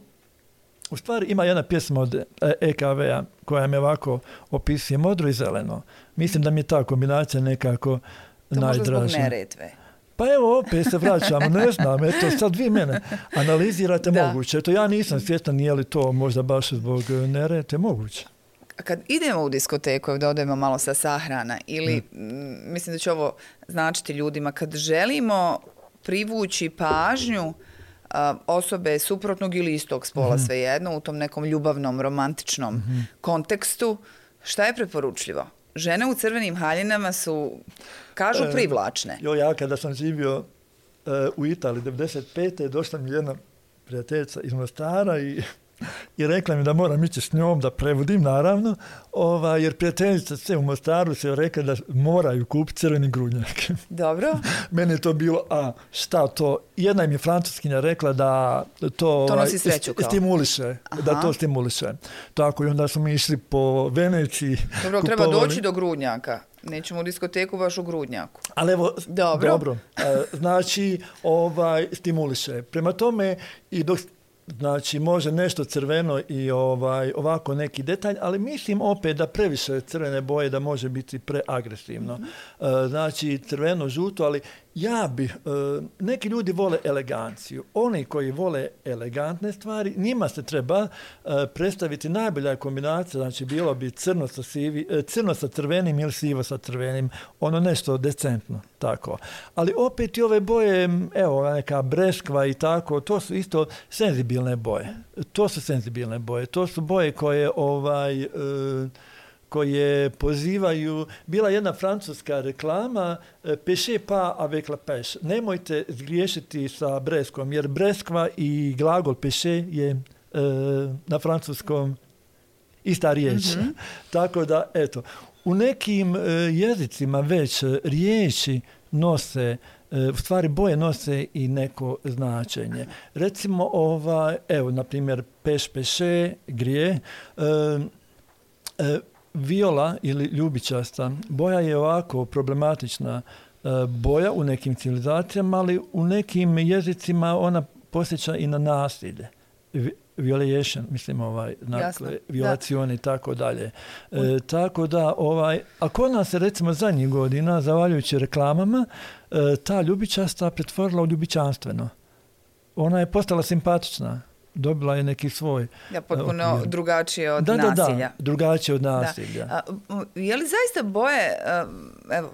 u stvari ima jedna pjesma od E K V-a koja me ovako opisuje modro i zeleno. Mislim da mi je ta kombinacija nekako to najdraža. To možda zbog Neretve. Pa evo, opet se vraćamo, ne znam, eto, sad vi mene analizirate da. moguće. Eto, ja nisam svjestan nije li to možda baš zbog Neretve moguće. Kad idemo u diskoteku, da odemo malo sa sahrana, ili mm. mislim da će ovo značiti ljudima, kad želimo privući pažnju a, osobe suprotnog ili istog spola, mm-hmm. svejedno, u tom nekom ljubavnom, romantičnom mm-hmm. kontekstu, šta je preporučljivo? Žene u crvenim haljinama su, kažu, e, privlačne. Jo, ja kada sam živio e, u Italiji devedeset pete došla mi jedna prijateljica iz Mostara i i rekla mi da moram ići s njom da prevodim, naravno, ova, jer prijateljica sve u Mostaru se rekla da moraju kupiti crveni grudnjak. Dobro. Meni je to bilo, a šta to? Jedna im je francuskinja rekla da to, to nosi sreću kao. stimuliše, Aha. da to stimuliše. Tako i onda smo mi išli po Veneciji. Dobro, treba doći do grudnjaka. Nećemo u diskoteku baš u grudnjaku. Ali evo, dobro. dobro. Znači, ovaj, stimuliše. Prema tome, i dok znači može nešto crveno i ovaj, ovako neki detalj, ali mislim opet da previše crvene boje da može biti preagresivno. Mm-hmm. Znači crveno, žuto, ali ja bi, neki ljudi vole eleganciju. Oni koji vole elegantne stvari, njima se treba predstaviti najbolja kombinacija, znači bilo bi crno sa, sivi, crno sa crvenim ili sivo sa crvenim, ono nešto decentno, tako. Ali opet i ove boje, evo, neka breskva i tako, to su isto senzibilne boje. To su senzibilne boje. To su boje koje ovaj... E, koje pozivaju, bila jedna francuska reklama, pêchez pas avec la pêche. Nemojte zgriješiti sa breskom, jer breskva i glagol pêcher je e, na francuskom ista riječ. Mm-hmm. Tako da, eto, u nekim e, jezicima već riječi nose, e, u stvari boje nose i neko značenje. Recimo, ova, evo, na primjer, pêche, pêcher, grije, e, e, viola ili ljubičasta boja je ovako problematična e, boja u nekim civilizacijama, ali u nekim jezicima ona posjeća i na nasilje. Violation, mislim, ovaj, dakle, violacione i tako dalje. E, tako da, ovaj, a kod nas se recimo zadnjih godina, zahvaljujući reklamama, e, ta ljubičasta pretvorila u ljubičanstveno. Ona je postala simpatična. Dobila je neki svoj... Ja, potpuno okvir. Drugačije od da, nasilja. Da, da, drugačije od nasilja. Da. A, je li zaista boje, evo,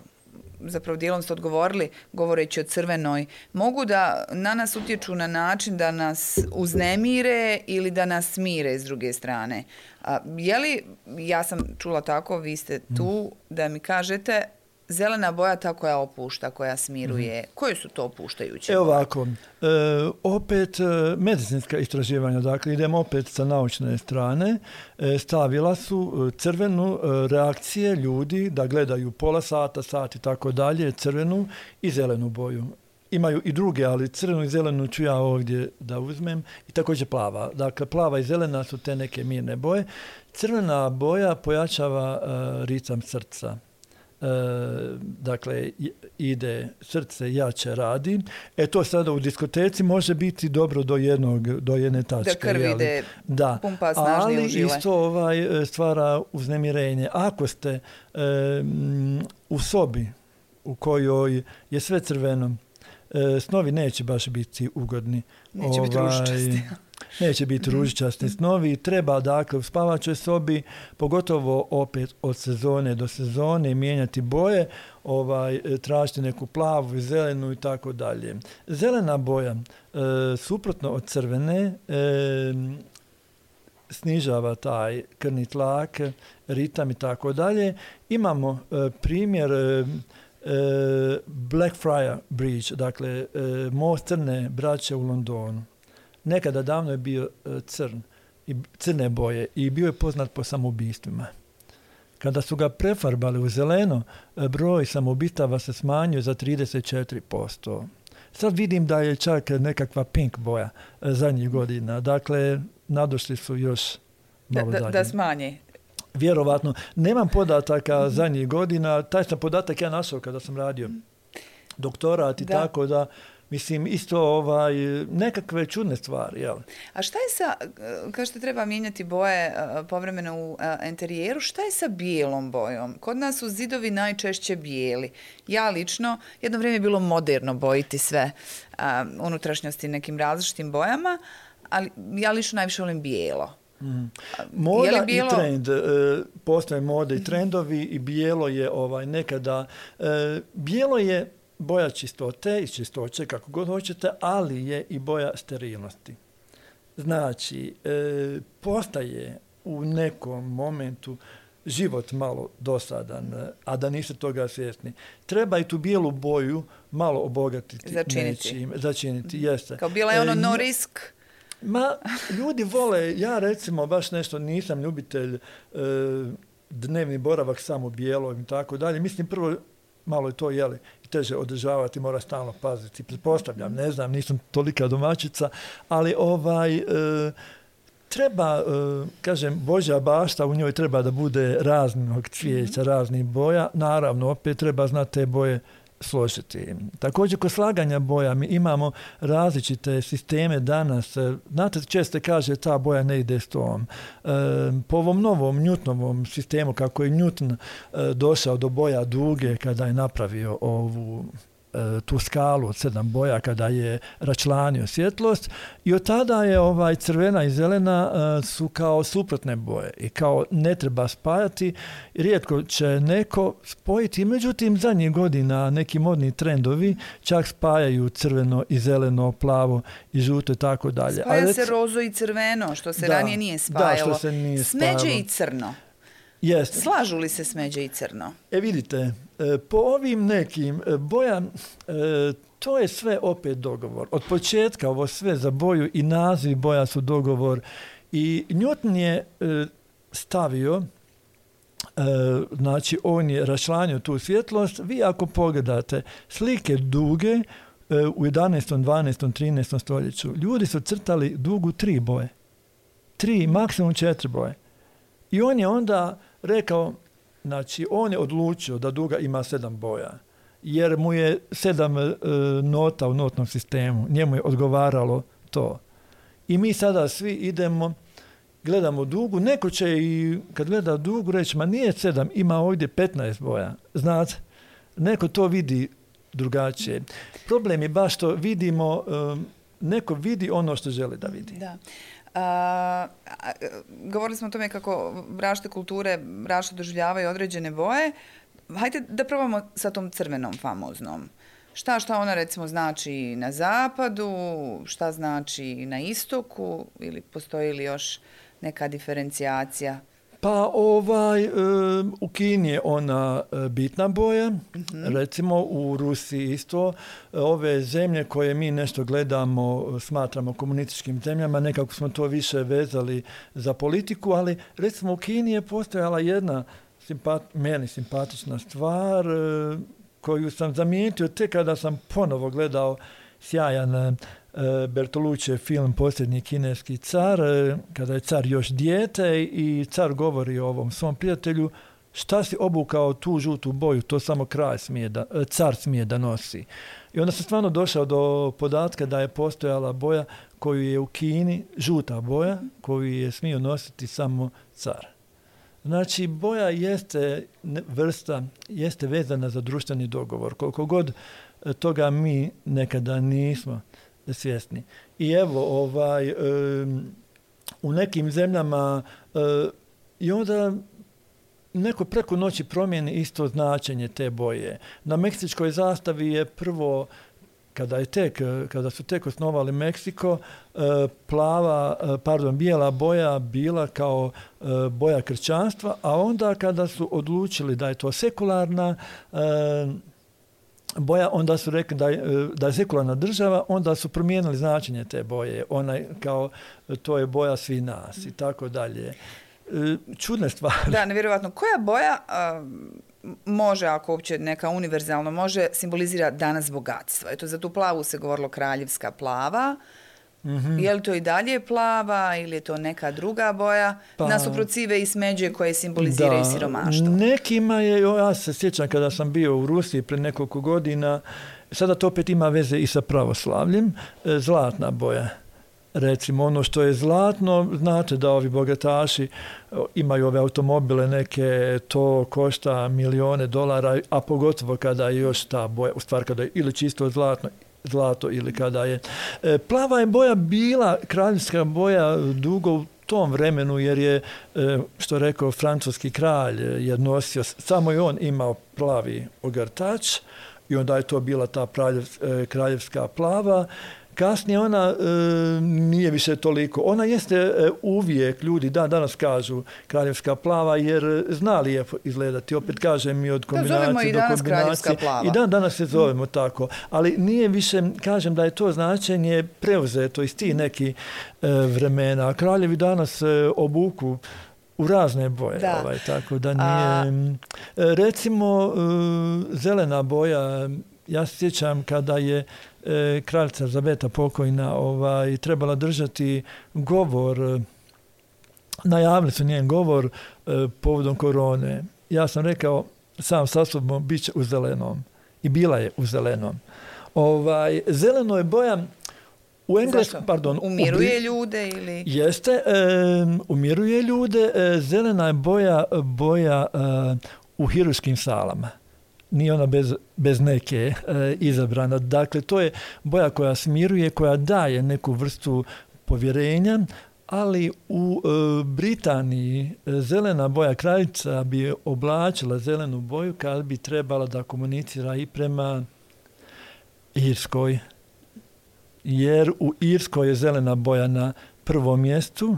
zapravo dijelom ste odgovorili, govoreći o crvenoj, mogu da na nas utječu na način da nas uznemire ili da nas smire s druge strane? A, je li, ja sam čula tako, vi ste tu, da mi kažete, zelena boja ta koja opušta, koja smiruje. Mm. Koje su to opuštajuće? Evo ovako, e, opet e, medicinska istraživanja, dakle idemo opet sa naučne strane, e, stavila su crvenu e, reakcije ljudi da gledaju pola sata, sat i tako dalje, crvenu i zelenu boju. Imaju i druge, ali crvenu i zelenu ću ja ovdje da uzmem i također plava. Dakle, plava i zelena su te neke mirne boje. Crvena boja pojačava e, ritam srca. E, dakle, ide, srce jače radi. E to sada u diskoteci može biti dobro do jednog, do jedne tačke. Da krv ide, da. pumpa snažnije u žile. Ali isto ovaj, stvara uznemirenje. Ako ste e, u sobi u kojoj je sve crveno, e, snovi neće baš biti ugodni. Neće ovaj, biti ružičasti. Neće biti ružičasti snovi. Treba, dakle, u spavačoj sobi, pogotovo opet od sezone do sezone, mijenjati boje, ovaj, tražiti neku plavu, zelenu i tako dalje. Zelena boja, e, suprotno od crvene, e, snižava taj krvni tlak, ritam i tako dalje. Imamo e, primjer e, Blackfriars Bridge, dakle, e, most Crne braće u Londonu. Nekada davno je bio crn, i crne boje i bio je poznat po samoubistvima. Kada su ga prefarbali u zeleno, broj samoubistava se smanjio za trideset četiri posto. Sad vidim da je čak nekakva pink boja zadnjih godina. Dakle, nadošli su još malo da, dalje. Da smanje. Vjerovatno. Nemam podataka zadnjih godina. Taj sam podatak ja našao kada sam radio doktorat i da. Tako da mislim, isto ovaj, nekakve čudne stvari. Jel? A šta je sa, kao što treba mijenjati boje uh, povremeno u uh, interijeru, šta je sa bijelom bojom? Kod nas su zidovi najčešće bijeli. Ja lično, jedno vrijeme je bilo moderno bojiti sve uh, unutrašnjosti nekim različitim bojama, ali ja lično najviše volim bijelo. Mm. Moda bijelo... i trend, e, postoje mode i trendovi i bijelo je ovaj, nekada, e, bijelo je boja čistote i čistoće, kako god hoćete, ali je i boja sterilnosti. Znači, e, postaje u nekom momentu život malo dosadan, a da niste toga svjesni. Treba i tu bijelu boju malo obogatiti. Začiniti. Nečim, začiniti, jeste. Kao bila je ono no risk. Ma, ljudi vole, ja recimo baš nešto nisam ljubitelj e, dnevni boravak samo bijelo i tako dalje. Mislim, prvo malo je to, jeli, teže održavati, mora stalno paziti. Pretpostavljam, ne znam, nisam tolika domaćica, ali ovaj, e, treba, e, kažem, Božja bašta, u njoj treba da bude raznog cvijeća, raznih boja. Naravno, opet treba znati te boje složiti. Također, kod slaganja boja mi imamo različite sisteme danas. Znate, često kaže ta boja ne ide s tom. E, po ovom novom Newtonovom sistemu, kako je Newton e, došao do boja duge kada je napravio ovu tu skalu od sedam boja kada je račlanio svjetlost i od tada je ovaj crvena i zelena uh, su kao suprotne boje i kao ne treba spajati. Rijetko će neko spojiti, međutim zadnjih godina neki modni trendovi čak spajaju crveno i zeleno, plavo i žuto i tako dalje. Spaja Ali, se rozo i crveno, što se da, ranije nije spajalo. Da, što se nije Smeđe spajalo. i crno. Jeste. Slažu li se smeđe i crno? E vidite, po ovim nekim boja, to je sve opet dogovor. Od početka ovo sve za boju i naziv boja su dogovor. I Newton je stavio, znači on je raščlanio tu svjetlost. Vi ako pogledate slike duge u jedanaestom, dvanaestom, trinaestom stoljeću, ljudi su crtali dugu tri boje. Tri, maksimum četiri boje. I on je onda rekao, znači on je odlučio da duga ima sedam boja, jer mu je sedam e, nota u notnom sistemu, njemu je odgovaralo to. I mi sada svi idemo, gledamo dugu, neko će i kad gleda dugu reći, ma nije sedam, ima ovdje petnaest boja. Znate, neko to vidi drugačije. Problem je baš što vidimo, e, neko vidi ono što želi da vidi. Da. A, a, govorili smo o tome kako različite kulture različito doživljavaju određene boje. Hajde da probamo sa tom crvenom famoznom. Šta, šta ona recimo znači na zapadu, šta znači na istoku ili postoji li još neka diferencijacija? Pa ovaj, u Kini je ona bitna boja, mm-hmm. recimo u Rusiji isto. Ove zemlje koje mi nešto gledamo, smatramo komunističkim zemljama, nekako smo to više vezali za politiku, ali recimo u Kini je postojala jedna simpat, meni simpatična stvar koju sam zamijetio tek kada sam ponovo gledao sjajan Bertoluccijev film Posljednji kineski car, kada je car još dijete i car govori o ovom svom prijatelju, šta si obukao tu žutu boju, to samo kralj smije da, car smije da nosi. I onda sam stvarno došao do podatka da je postojala boja koju je u Kini, žuta boja, koju je smio nositi samo car. Znači, boja jeste vrsta, jeste vezana za društveni dogovor. Koliko god toga mi nekada nismo svjesni. I evo, ovaj, um, u nekim zemljama uh, i onda neko preko noći promijeni isto značenje te boje. Na meksičkoj zastavi je prvo, kada je tek, kada su tek osnovali Meksiko, uh, plava, uh, pardon, bijela boja bila kao uh, boja kršćanstva, a onda kada su odlučili da je to sekularna uh, boja, onda su rekli da je, da je sekularna država, onda su promijenili značenje te boje. Ona kao, to je boja svi nas i tako dalje. Čudne stvari. Da, nevjerojatno. Koja boja a, može, ako uopće neka univerzalno, može simbolizira danas bogatstvo? Eto, za tu plavu se govorilo kraljevska plava. Mm-hmm. Je li to i dalje plava ili je to neka druga boja? Pa, nasuprot sive i smeđe koje simboliziraju da, siromaštvo. Nekima je, ja se sjećam kada sam bio u Rusiji pre nekoliko godina, sada to opet ima veze i sa pravoslavljem, zlatna boja. Recimo, ono što je zlatno, znate da ovi bogataši imaju ove automobile neke, to košta milijone dolara, a pogotovo kada je još ta boja, u stvari kada je ili čisto zlatno, zlato ili kada je. Plava je boja bila kraljevska boja dugo u tom vremenu, jer je, što rekao francuski kralj, je nosio, samo je on imao plavi ogrtač i onda je to bila ta kraljevska plava. Kasnije ona e, nije više toliko. Ona jeste e, uvijek, ljudi dan danas kažu kraljevska plava, jer zna lijepo izgledati. Opet kažem mi od kombinacije do kombinacije. I dan danas se zovemo mm. tako. Ali nije više, kažem da je to značenje preuzeto iz tih nekih e, vremena. Kraljevi danas e, obuku u razne boje. Da. Ovaj, tako da nije... A... Recimo, e, zelena boja, ja se sjećam kada je e, kraljica Elizabeta pokojna ovaj, trebala držati govor, najavili su njen govor e, povodom korone. Ja sam rekao sam sa sobom bit će u zelenom. i bila je u zelenom. Ovaj, zeleno je boja u engleskom, pardon, umiruje u, ljude ili... Jeste, e, umiruje ljude. E, zelena je boja, boja e, u hiruškim salama. Nije ona bez, bez neke e, izabrana. Dakle, to je boja koja smiruje, koja daje neku vrstu povjerenja, ali u e, Britaniji e, zelena boja kraljica bi oblačila zelenu boju kad bi trebala da komunicira i prema Irskoj. Jer u Irskoj je zelena boja na prvom mjestu.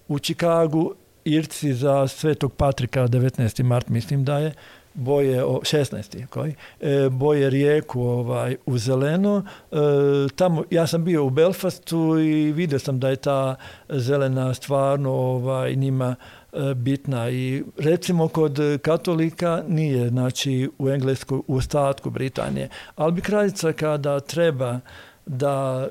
U Čikagu Irci za Svetog Patrika, devetnaesti mart mislim da je, boje o šesnaesti koji e, boje rijeku ovaj u zeleno. E, tamo ja sam bio u Belfastu i vidio sam da je ta zelena stvarno ovaj njima e, bitna i recimo kod katolika nije, znači u Engleskoj, u ostatku Britanije, ali bi kraljica kada treba da,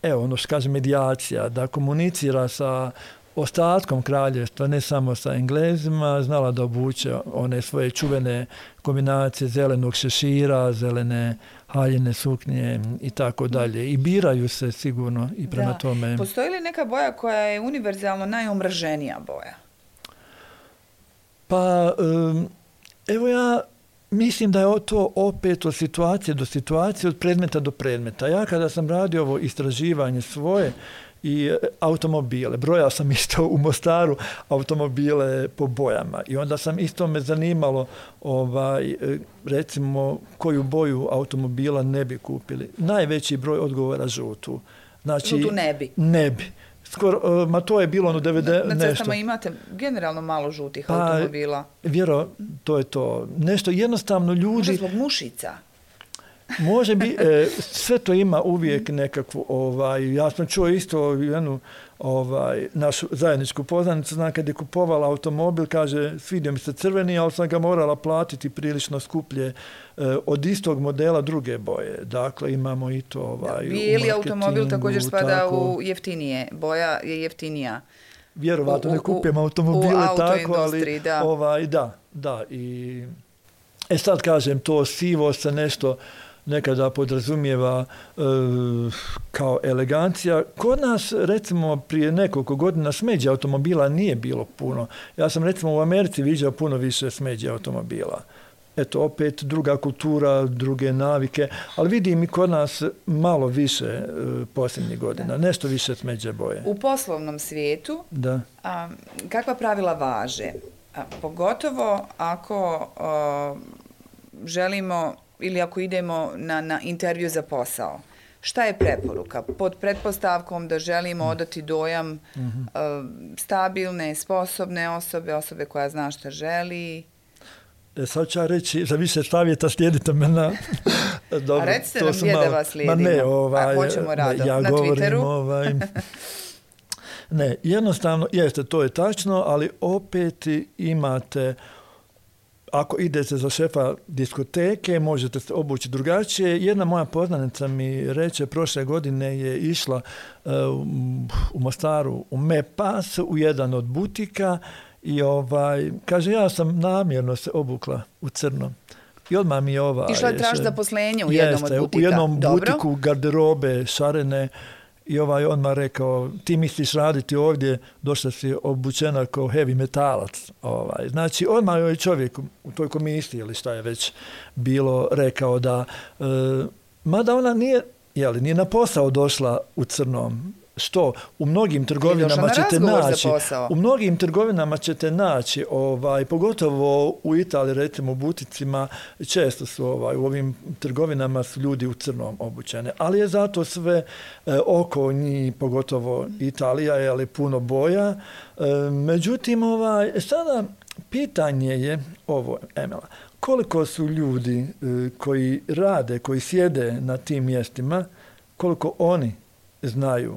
evo ono što kaže medijacija, da komunicira sa ostatkom kraljevstva, ne samo sa Englezima, znala da obuče one svoje čuvene kombinacije zelenog šešira, zelene haljine suknje i tako dalje. I biraju se sigurno i prema da. tome. Postoji li neka boja koja je univerzalno najomraženija boja? Pa, um, evo ja mislim da je to opet od situacije do situacije, od predmeta do predmeta. Ja kada sam radio ovo istraživanje svoje i automobile, brojao sam isto u Mostaru automobile po bojama i onda sam isto me zanimalo ovaj, recimo koju boju automobila ne bi kupili. Najveći broj odgovora žutu. Znači, žutu ne bi? Ne bi. Skoro, ma to je bilo ono devedeset Na, na cestama nešto. Imate generalno malo žutih pa, automobila. Vjero, to je to. Nešto jednostavno ljudi... Možda zbog mušica? Može bi, e, sve to ima uvijek nekakvu, ovaj, ja sam čuo isto jednu ovaj, našu zajedničku poznanicu, znam kad je kupovala automobil, kaže svidio mi se crveni, ali sam ga morala platiti prilično skuplje e, od istog modela druge boje. Dakle, imamo i to ovaj, da, bijeli automobil također spada tako, u jeftinije, boja je jeftinija. Vjerovatno ne kupujem automobile tako, ali da. Ovaj, da, da. I, e sad kažem, to sivo se nešto nekada podrazumijeva e, kao elegancija. Kod nas, recimo, prije nekoliko godina smeđe automobila nije bilo puno. Ja sam, recimo, u Americi viđao puno više smeđe automobila. Eto, opet druga kultura, druge navike, ali vidim i kod nas malo više e, posljednjih godina, da. Nešto više smeđe boje. U poslovnom svijetu, da. A, kakva pravila važe? A, pogotovo ako a, želimo ili ako idemo na, na intervju za posao. Šta je preporuka? Pod pretpostavkom da želimo odati dojam mm-hmm. uh, stabilne, sposobne osobe, osobe koja zna šta želi. E, sad ću ja reći, za više savjeta slijedite me na... Dobro, a recite nam gdje malo... da vas slijedimo. Ma ne, ovaj, a hoćemo rado. Ja na govorim, Twitteru? Ovaj, ne, jednostavno, jeste, to je tačno, ali opet imate... Ako idete za šefa diskoteke, možete se obući drugačije. Jedna moja poznanica mi reče, prošle godine je išla uh, u Mostaru u Mepas, u jedan od butika i ovaj, kaže, ja sam namjerno se obukla u crno. I odmah mi je ova... Išla je traži zaposlenje u jednom jeste, od butika. U jednom Dobro. butiku garderobe, šarene. I ovaj odmah rekao, ti misliš raditi ovdje, došla si obučena kao heavy metalac. Ovaj. Znači, odmah je čovjek u toj komisiji ili šta je već bilo rekao da, e, mada ona nije, jeli, nije na posao došla u crnom. Što? U mnogim trgovinama ćete naći. U mnogim trgovinama ćete naći, ovaj, pogotovo u Italiji, recimo u buticima, često su ovaj, u ovim trgovinama su ljudi u crnom obučene. Ali je zato sve e, oko njih, pogotovo Italija, je ali puno boja. E, međutim, ovaj, sada pitanje je ovo, Emela, koliko su ljudi e, koji rade, koji sjede na tim mjestima, koliko oni znaju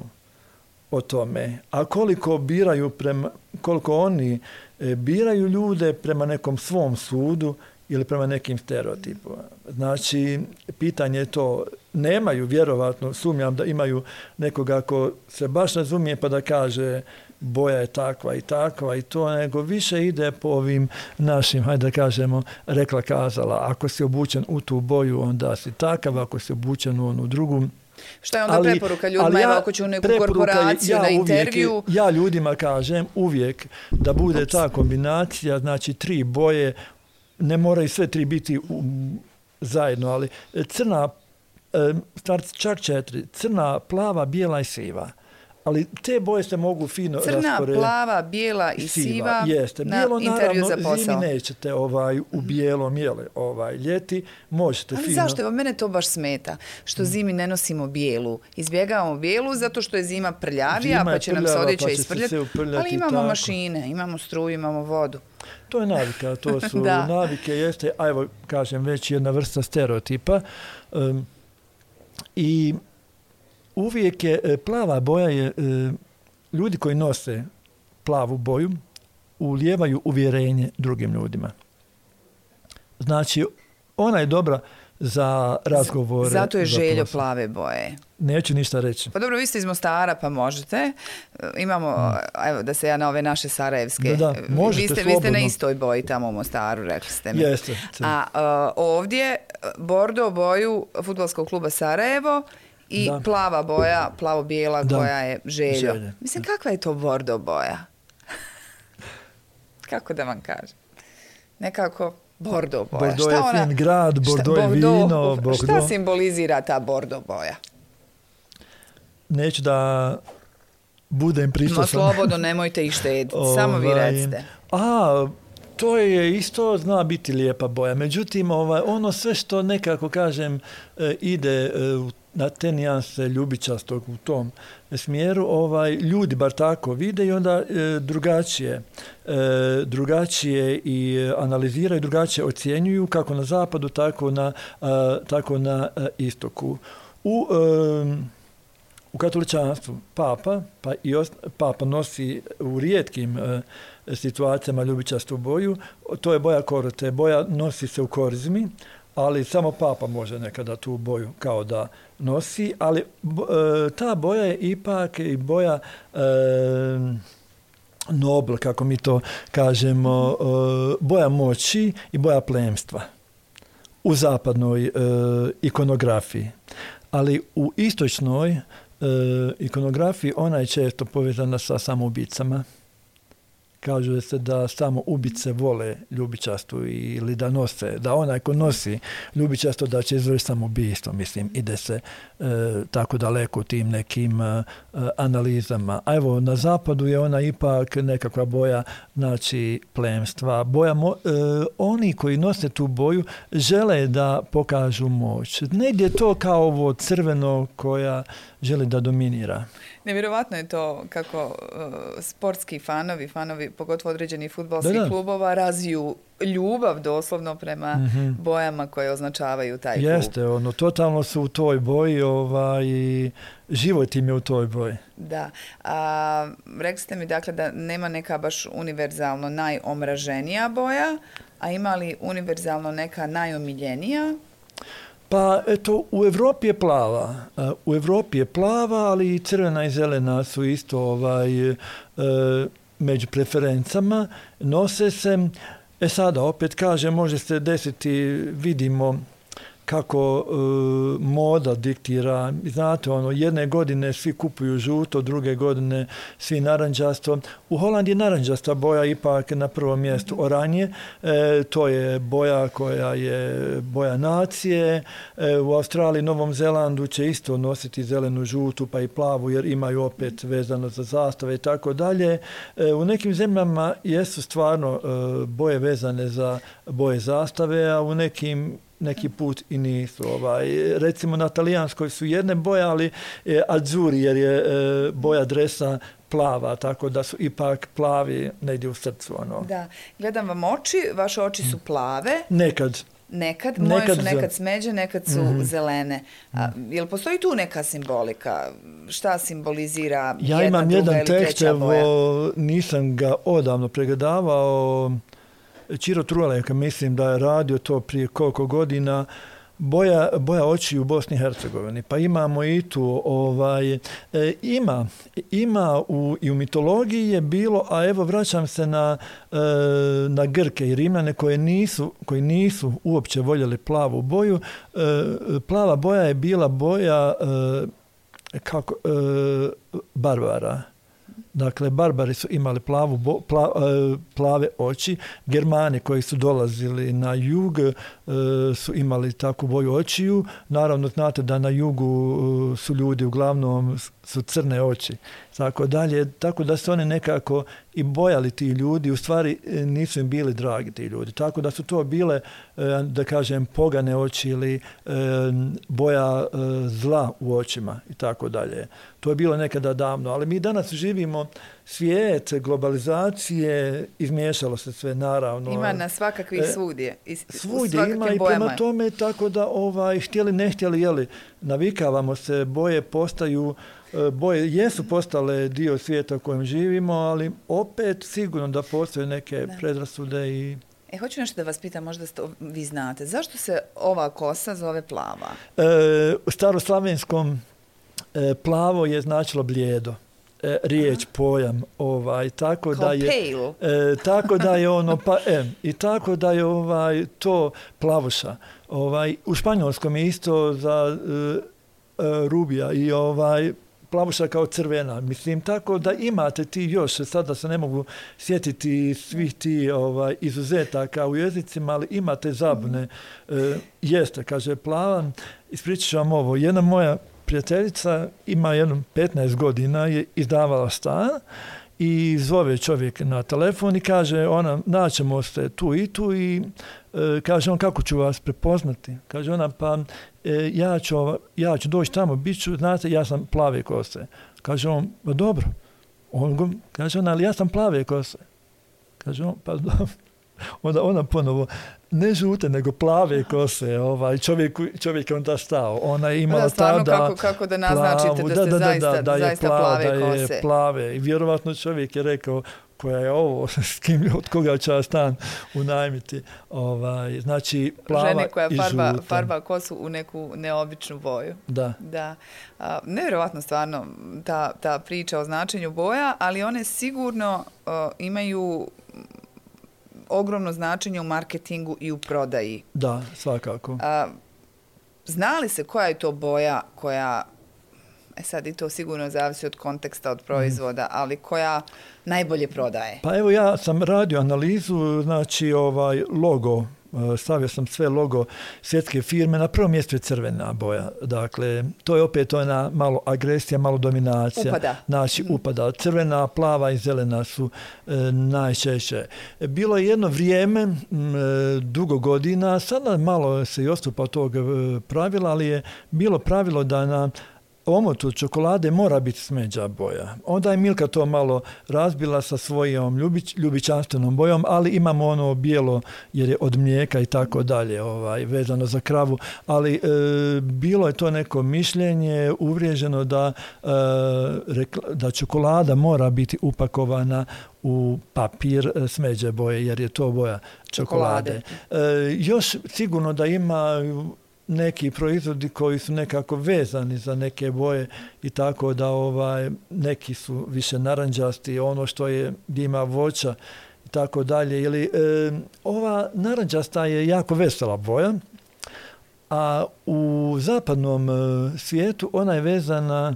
o tome, a koliko biraju prema, koliko oni e, biraju ljude prema nekom svom sudu ili prema nekim stereotipima. Znači, pitanje je to, nemaju, vjerovatno, sumnjam da imaju nekoga ko se baš razumije pa da kaže boja je takva i takva i to, nego više ide po ovim našim, hajde da kažemo, rekla kazala. Ako si obučen u tu boju, onda si takav, ako si obučen u onu drugu. Šta je onda ali, preporuka ljudima, ja, evo ako ću u neku korporaciju, ja na intervju? Uvijek, ja ljudima kažem uvijek da bude Ups. ta kombinacija, znači tri boje, ne moraju sve tri biti u, zajedno, ali crna, čak četiri, crna, plava, bijela i siva. Ali te boje se mogu fino rasporediti. Crna, raspore... plava, bijela i siva, siva jeste. Bijelo, na intervju za posao. Zimi nećete ovaj, u bijelom, jele, ovaj, ljeti možete ali fino. Zašto? Mene to baš smeta. Što zimi ne nosimo bijelu. Izbjegavamo bijelu zato što je zima prljavija, zima pa će prljava, nam se odjeća pa isprljati. Ali imamo tako. mašine, imamo struju, imamo vodu. To je navika, to su navike, jeste, a evo, kažem, već jedna vrsta stereotipa. Um, I uvijek je, plava boja je, ljudi koji nose plavu boju ulijevaju uvjerenje drugim ljudima. Znači, ona je dobra za razgovore. Zato je željo plave boje. Neću ništa reći. Pa dobro, vi ste iz Mostara, pa možete. Imamo, mm. evo da se ja na ove naše sarajevske. Da, da, možete, vi, ste, vi ste na istoj boji tamo u Mostaru, rekli ste mi. Jeste. A uh, ovdje, bordo boju fudbalskog kluba Sarajevo i da. plava boja, plavo-bijela da. koja je željo. Želje. Mislim, kakva je to bordo boja? Kako da vam kažem? Nekako bordo boja. Bordo šta je ona, fin grad, bordo šta, je vino. Bordo. Šta simbolizira ta bordo boja? Neću da budem pristosan. No slobodno, nemojte ih štediti. Samo vi recite. A, to je isto, zna biti lijepa boja. Međutim, ovaj, ono sve što nekako, kažem, ide na te nijanse ljubičastog u tom smjeru, ovaj, ljudi bar tako vide i onda e, drugačije, e, drugačije i analiziraju, drugačije ocjenjuju kako na zapadu, tako na, a, tako na a, istoku. U, e, u katoličanstvu papa, pa i ost, papa nosi u rijetkim e, situacijama ljubičastu boju, to je boja korote, boja nosi se u korizmi, ali samo papa može nekada tu boju kao da nosi, ali e, ta boja je ipak i boja e, nobl, kako mi to kažemo, e, boja moći i boja plemstva u zapadnoj e, ikonografiji. Ali u istočnoj e, ikonografiji ona je često povezana sa samoubicama. Kažu se da samo ubice vole ljubičastu ili da nose, da onaj ko nosi ljubičasto da će izvršiti samoubistvo. Mislim, ide se e, tako daleko u tim nekim e, analizama. A evo, na zapadu je ona ipak nekakva boja, znači, plemstva. Boja mo, e, oni koji nose tu boju žele da pokažu moć. Negdje je to kao ovo crveno koja želi da dominira. Nevjerovatno je to kako uh, sportski fanovi, fanovi pogotovo određenih fudbalskih klubova razviju ljubav doslovno prema mm-hmm. bojama koje označavaju taj klub. Jeste, ono, totalno su u toj boji ovaj, i život im je u toj boji. Da. A, rekli ste mi dakle da nema neka baš univerzalno najomraženija boja, a ima li univerzalno neka najomiljenija? Pa eto, u Evropi je plava. U Evropi je plava, ali i crvena i zelena su isto ovaj, e, među preferencama. Nose se, e sada opet kažem, može se desiti, vidimo kako e, moda diktira. Znate, ono, jedne godine svi kupuju žuto, druge godine svi naranđasto. U Holandiji naranđasta boja ipak na prvom mjestu oranje. E, to je boja koja je boja nacije. E, u Australiji, Novom Zelandu će isto nositi zelenu, žutu pa i plavu jer imaju opet vezano za zastave i tako dalje. E, u nekim zemljama jesu stvarno e, boje vezane za boje zastave, a u nekim neki put i nisu. Ovaj, recimo na talijanskoj su jedne boje, ali e, azzurri jer je e, boja dresa plava, tako da su ipak plavi negdje u srcu. Ono. Da, gledam vam oči, vaše oči su plave. Nekad. Nekad, moje nekad su nekad smeđe, nekad su mm-hmm. zelene. A, jel postoji tu neka simbolika? Šta simbolizira ja jedna, druga jedan ili treća boja? Ja imam jedan tekst, nisam ga odavno pregledavao, Ciro Truleka, mislim da je radio to prije koliko godina, boja, boja očiju u Bosni i Hercegovini. Pa imamo i tu, ovaj, e, ima, ima u, i u mitologiji je bilo, a evo vraćam se na, e, na Grke i Rimljane koje nisu, koji nisu uopće voljeli plavu boju. E, plava boja je bila boja e, kako, e, barbara. Dakle, barbari su imali plavu, bo, pla, plave oči. Germani koji su dolazili na jug e, su imali takvu boju očiju. Naravno, znate da na jugu su ljudi uglavnom su crne oči. Tako dalje. Tako da su oni nekako i bojali ti ljudi. U stvari nisu im bili dragi ti ljudi. Tako da su to bile, da kažem, pogane oči ili boja zla u očima i tako dalje. To je bilo nekada davno. Ali mi danas živimo svijet globalizacije, izmiješalo se sve, naravno. Ima na svakakvih svudje. Svudje ima i prema tome, tako da ovaj, htjeli, ne htjeli, jeli, navikavamo se, boje postaju, boje jesu postale dio svijeta u kojem živimo, ali opet sigurno da postoje neke da. predrasude i... E, hoću nešto da vas pitam, možda sto, vi znate, zašto se ova kosa zove plava? E, u staroslavenskom e, plavo je značilo blijedo. E, riječ, aha, pojam, ovaj, tako kao da je, e, tako da je ono, pa, e, i tako da je ovaj, to plavuša. Ovaj, u španjolskom je isto za e, e, rubija i ovaj, plavuša kao crvena. Mislim, tako da imate ti još, sada se ne mogu sjetiti svih ti ovaj, izuzetaka u jezicima, ali imate zabune. E, jeste, kaže plava, ispričat ću vam ovo, jedna moja prijateljica ima jedno petnaest godina, je izdavala stan i zove čovjek na telefon i kaže ona, naćemo se tu i tu i e, kaže on, kako ću vas prepoznati? Kaže ona, pa e, ja, ću, ja ću doći tamo, bit ću, znate, ja sam plave kose. Kaže on, pa dobro. On, kaže ona, ali ja sam plave kose. Kaže on, pa dobro. Onda ona ponovo, ne žute, nego plave kose. Ovaj, čovjek, čovjek je onda stao. Ona je imala da, tada kako, kako da naznačite plavu, da ste da, da, zaista, da, da, zaista plava, plave da kose. Je plave. I vjerovatno čovjek je rekao, koja je ovo, s kim, od koga će ja stan unajmiti. Ovaj, znači, plava žene koja i farba, žuta. farba kosu u neku neobičnu boju. Da. da. A, nevjerovatno stvarno ta, ta priča o značenju boja, ali one sigurno uh, imaju ogromno značenje u marketingu i u prodaji. Da, svakako. A, zna li se koja je to boja koja, e sad i to sigurno zavisi od konteksta, od proizvoda, mm. ali koja najbolje prodaje? Pa evo ja sam radio analizu, znači ovaj logo, stavio sam sve logo svjetske firme, na prvom mjestu je crvena boja. Dakle, to je opet ona malo agresija, malo dominacija. Upada. Znači, upada. Crvena, plava i zelena su e, najčešće. Bilo je jedno vrijeme, m, dugo godina, sada malo se i odstupa od tog pravila, ali je bilo pravilo da na omotu čokolade mora biti smeđa boja. Onda je Milka to malo razbila sa svojom ljubić, ljubičanstvenom bojom, ali imamo ono bijelo jer je od mlijeka i tako dalje, ovaj, vezano za kravu. Ali e, bilo je to neko mišljenje uvriježeno da, e, rekla, da čokolada mora biti upakovana u papir smeđe boje, jer je to boja čokolade. čokolade. E, još sigurno da ima neki proizvodi koji su nekako vezani za neke boje i tako da ovaj, neki su više naranđasti, ono što je, gdje ima voća i tako dalje. Ili, e, ova naranđasta je jako vesela boja, a u zapadnom e, svijetu ona je vezana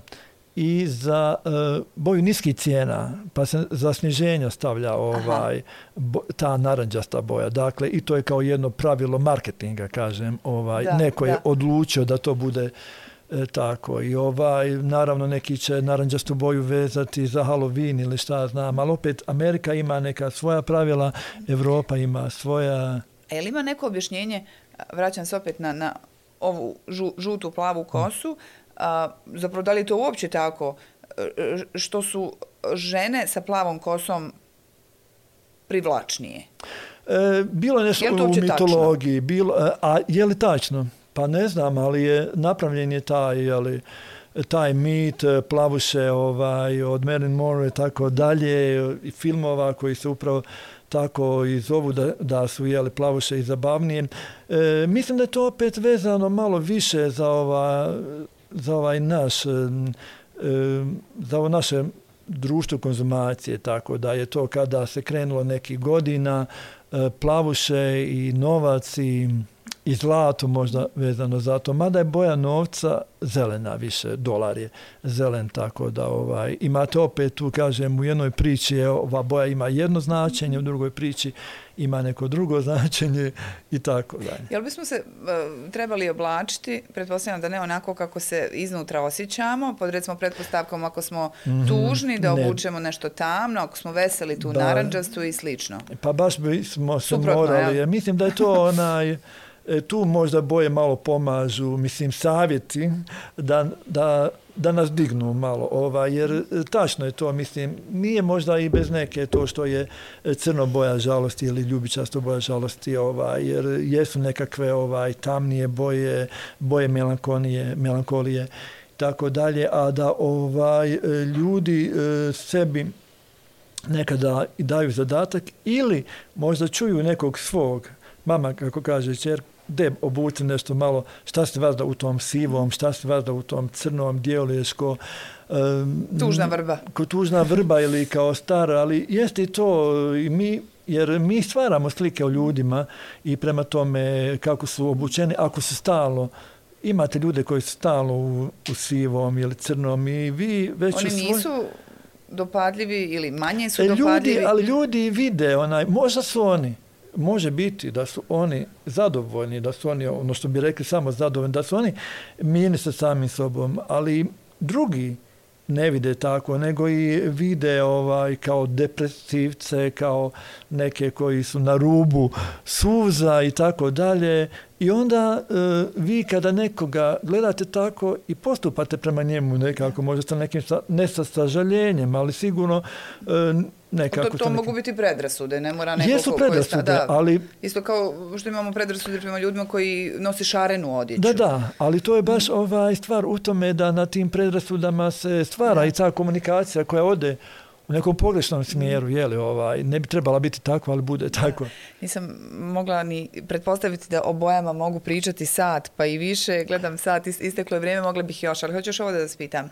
i za e, boju niskih cijena, pa se za sniženja stavlja ovaj, bo, ta naranđasta boja. Dakle, i to je kao jedno pravilo marketinga, kažem. Ovaj, da, neko da. je odlučio da to bude e, tako. I ovaj, naravno neki će naranđastu boju vezati za Halloween ili šta znam, ali opet Amerika ima neka svoja pravila, Europa ima svoja... E, li ima neko objašnjenje, vraćam se opet na, na ovu žu, žutu plavu kosu, a, zapravo da li je to uopće tako, što su žene sa plavom kosom privlačnije? E, bilo je nešto je u mitologiji, bilo, a je li tačno? Pa ne znam, ali je napravljen je taj, jeli, taj mit plavuše ovaj, od Marilyn Monroe i tako dalje, i filmova koji se upravo tako i zovu da, da su jeli, plavuše i zabavnije. E, mislim da je to opet vezano malo više za, ova, za ovaj naš, e, za ovo naše društvo konzumacije, tako da je to kada se krenulo nekih godina, e, plavuše i novac i i zlato možda vezano za to, mada je boja novca zelena više, dolar je zelen, tako da ovaj, imate opet tu, kažem, u jednoj priči je, ova boja ima jedno značenje, u drugoj priči ima neko drugo značenje i tako dalje. Jel bismo se uh, trebali oblačiti, pretpostavljam da ne onako kako se iznutra osjećamo, pod recimo pretpostavkom ako smo mm-hmm, tužni da obučemo ne. nešto tamno, ako smo veseli tu ba, naranđastu i slično. Pa baš bismo se Suprotno, morali, ja? Mislim da je to onaj tu možda boje malo pomažu, mislim, savjeti da, da, da nas dignu malo, ovaj, jer tačno je to, mislim, nije možda i bez neke to što je crno boja žalosti ili ljubičasto boja žalosti, ovaj, jer jesu nekakve ovaj, tamnije boje, boje melankolije, melankolije, tako dalje, a da ovaj, ljudi sebi nekada daju zadatak ili možda čuju nekog svog, mama, kako kaže čer, de obuci nešto malo, šta se vas da u tom sivom, šta se vas da u tom crnom djevoječko. Um, tužna vrba. Ko tužna vrba ili kao stara, ali jeste i to i mi, jer mi stvaramo slike o ljudima i prema tome kako su obučeni, ako su stalno, imate ljude koji su stalno u, u sivom ili crnom i vi već Oni svoj... nisu dopadljivi ili manje su dopadljivi? Ljudi, ali ljudi vide, onaj, možda su oni, može biti da su oni zadovoljni, da su oni, ono što bi rekli, samo zadovoljni, da su oni mirni sa samim sobom, ali drugi ne vide tako, nego i vide ovaj, kao depresivce, kao neke koji su na rubu suza i tako dalje. I onda e, vi kada nekoga gledate tako i postupate prema njemu nekako, možda sa nekim, ne sa sažaljenjem, ali sigurno e, nekako... To, to mogu nekim... biti predrasude, ne mora neko... Jesu predrasude, da, ali... Isto kao što imamo predrasude prema ljudima koji nosi šarenu odjeću. Da, da, ali to je baš ovaj stvar u tome da na tim predrasudama se stvara da. i ta komunikacija koja ode u nekom pogrešnom smjeru, jeli, ovaj, ne bi trebala biti tako, ali bude tako. Da. Nisam mogla ni pretpostaviti da o bojama mogu pričati sat, pa i više. Gledam sat, isteklo je vrijeme, mogla bih još, ali hoću još ovo da vas pitam.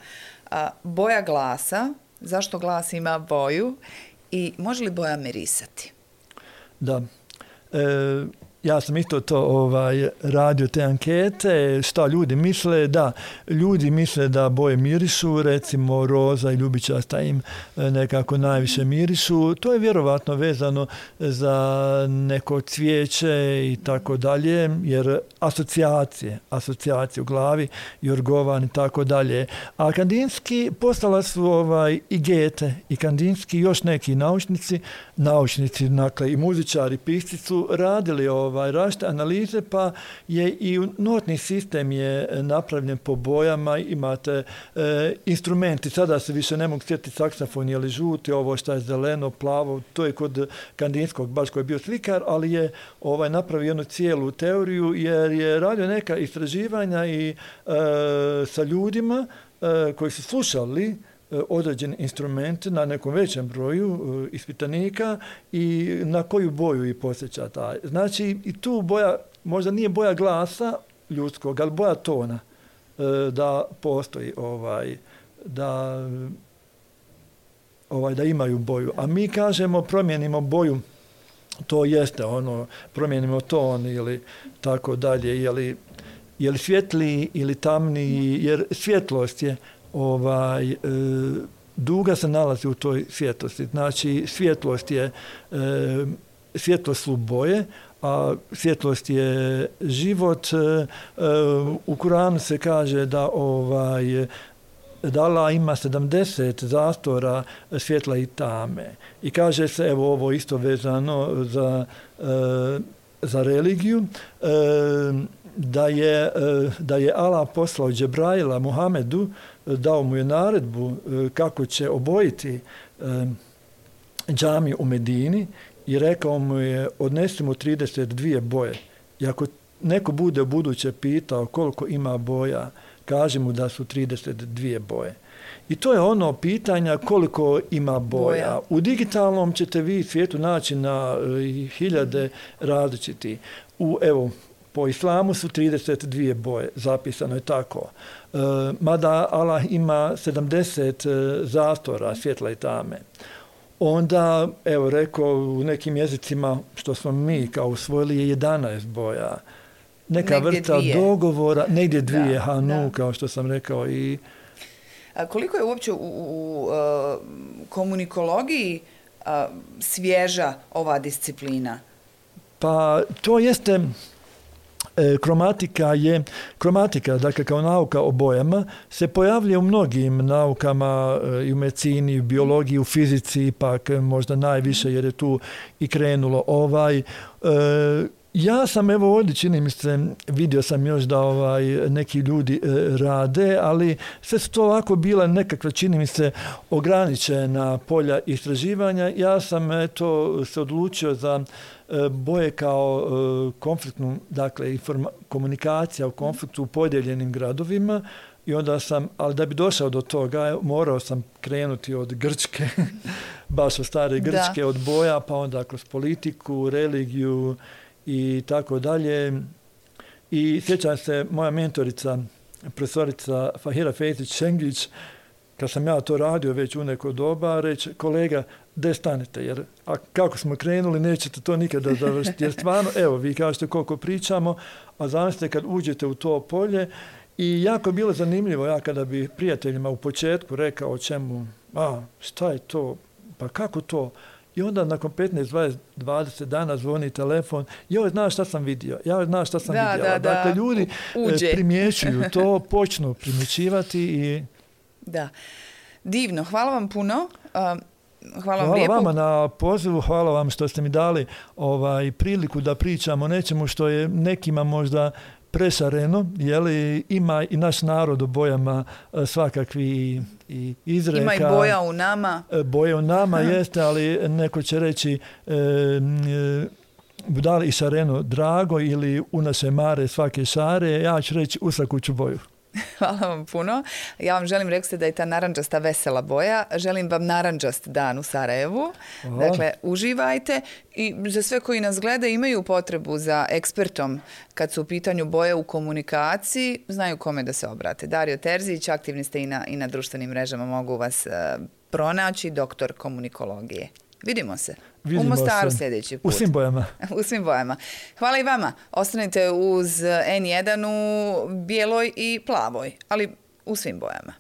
A, boja glasa, zašto glas ima boju i može li boja mirisati? Da. E, ja sam isto to ovaj, radio te ankete, šta ljudi misle, da, ljudi misle da boje mirišu, recimo roza i ljubičasta im nekako najviše mirišu, to je vjerovatno vezano za neko cvijeće i tako dalje, jer asocijacije, asocijacije u glavi, jorgovan i tako dalje. A Kandinski postala su ovaj, i Gete i Kandinski još neki naučnici, naučnici, dakle i muzičari, pisci su radili ovaj, Ovaj, različite analize, pa je i notni sistem je napravljen po bojama, imate e, instrumenti, sada se više ne mogu sjetiti saksofon ili žuti, ovo što je zeleno, plavo, to je kod Kandinskog, baš koji je bio slikar, ali je ovaj, napravio jednu cijelu teoriju, jer je radio neka istraživanja i e, sa ljudima e, koji su slušali određeni instrument na nekom većem broju ispitanika i na koju boju i posjeća taj. Znači i tu boja, možda nije boja glasa ljudskog, ali boja tona da postoji ovaj, da, ovaj, da imaju boju. A mi kažemo promijenimo boju, to jeste ono, promijenimo ton ili tako dalje, je li, je li svjetliji ili tamniji, jer svjetlost je Ovaj, e, duga se nalazi u toj svjetlosti. Znači, svjetlost je, e, svjetlost su boje, a svjetlost je život. E, u Kuranu se kaže da ovaj, da Allah ima sedamdeset zastora svjetla i tame. I kaže se, evo ovo isto vezano za, e, za religiju, e, da je, da je Allah poslao Džebraila Muhamedu, dao mu je naredbu kako će obojiti džamiju u Medini i rekao mu je odnesi mu trideset dvije boje. I ako neko bude u buduće pitao koliko ima boja, kaži mu da su trideset dvije boje. I to je ono pitanja koliko ima boja. boja. U digitalnom ćete vi svijetu naći na uh, hiljade različiti. U, evo, po islamu su trideset dvije boje, zapisano je tako. Uh, mada Allah ima sedamdeset uh, zastora, svjetla i tame. Onda, evo, rekao u nekim jezicima, što smo mi kao usvojili, je jedanaest boja. Neka negdje vrsta dvije. dogovora, negdje dvije, da, hanu, da. Kao što sam rekao. I A koliko je uopće u, u, u uh, komunikologiji uh, svježa ova disciplina? Pa to jeste, e, kromatika je, kromatika, dakle kao nauka o bojama, se pojavlja u mnogim naukama, e, i u medicini, u biologiji, u fizici, pak možda najviše jer je tu i krenulo ovaj. E, Ja sam, evo ovdje čini mi se, vidio sam još da ovaj, neki ljudi e, rade, ali sve su to ovako bila nekakva, čini mi se, ograničena polja istraživanja. Ja sam eto, se odlučio za e, boje kao e, konfliktnu, dakle, informa- komunikacija u konfliktu u podijeljenim gradovima. I onda sam, ali da bi došao do toga, morao sam krenuti od Grčke, baš od stare Grčke, da. Od boja, pa onda kroz politiku, religiju, i tako dalje. I sjećam se, moja mentorica, profesorica Fahira Fejtić-Šengić, kad sam ja to radio već u neko doba, reći, kolega, gdje stanete, jer a kako smo krenuli, nećete to nikada završiti. Jer stvarno, evo, vi kažete koliko pričamo, a zamislite kad uđete u to polje. I jako je bilo zanimljivo, ja kada bi prijateljima u početku rekao o čemu, a šta je to, pa kako to? I onda nakon petnaest, dvadeset, dvadeset dana zvoni telefon, joj, znaš šta sam vidio, ja znaš šta sam da, vidjela. Da, dakle, da. ljudi Uđe. primjećuju to, počnu primjećivati i... Da. Divno, hvala vam puno. Uh, hvala hvala vam lijepo. vama na pozivu, hvala vam što ste mi dali ovaj, priliku da pričamo o nečemu što je nekima možda prešareno, jeli, ima i naš narod u bojama svakakvi i izreka. Ima i boja u nama. Boja u nama jeste, ali neko će reći e, da li i šareno drago ili u naše mare svake šare, ja ću reći u svaku ću boju. Hvala vam puno. Ja vam želim, rekli ste da je ta naranđasta vesela boja. Želim vam naranđast dan u Sarajevu. Hvala. Dakle, uživajte i za sve koji nas gleda imaju potrebu za ekspertom kad su u pitanju boje u komunikaciji, znaju kome da se obrate. Dario Terzić, aktivni ste i na, i na društvenim mrežama, mogu vas uh, pronaći, doktor komunikologije. Vidimo se. Vidimo u Mostaru se. Sljedeći put. U svim bojama. U svim bojama. Hvala i vama. Ostanite uz en jedan u bijeloj i plavoj, ali u svim bojama.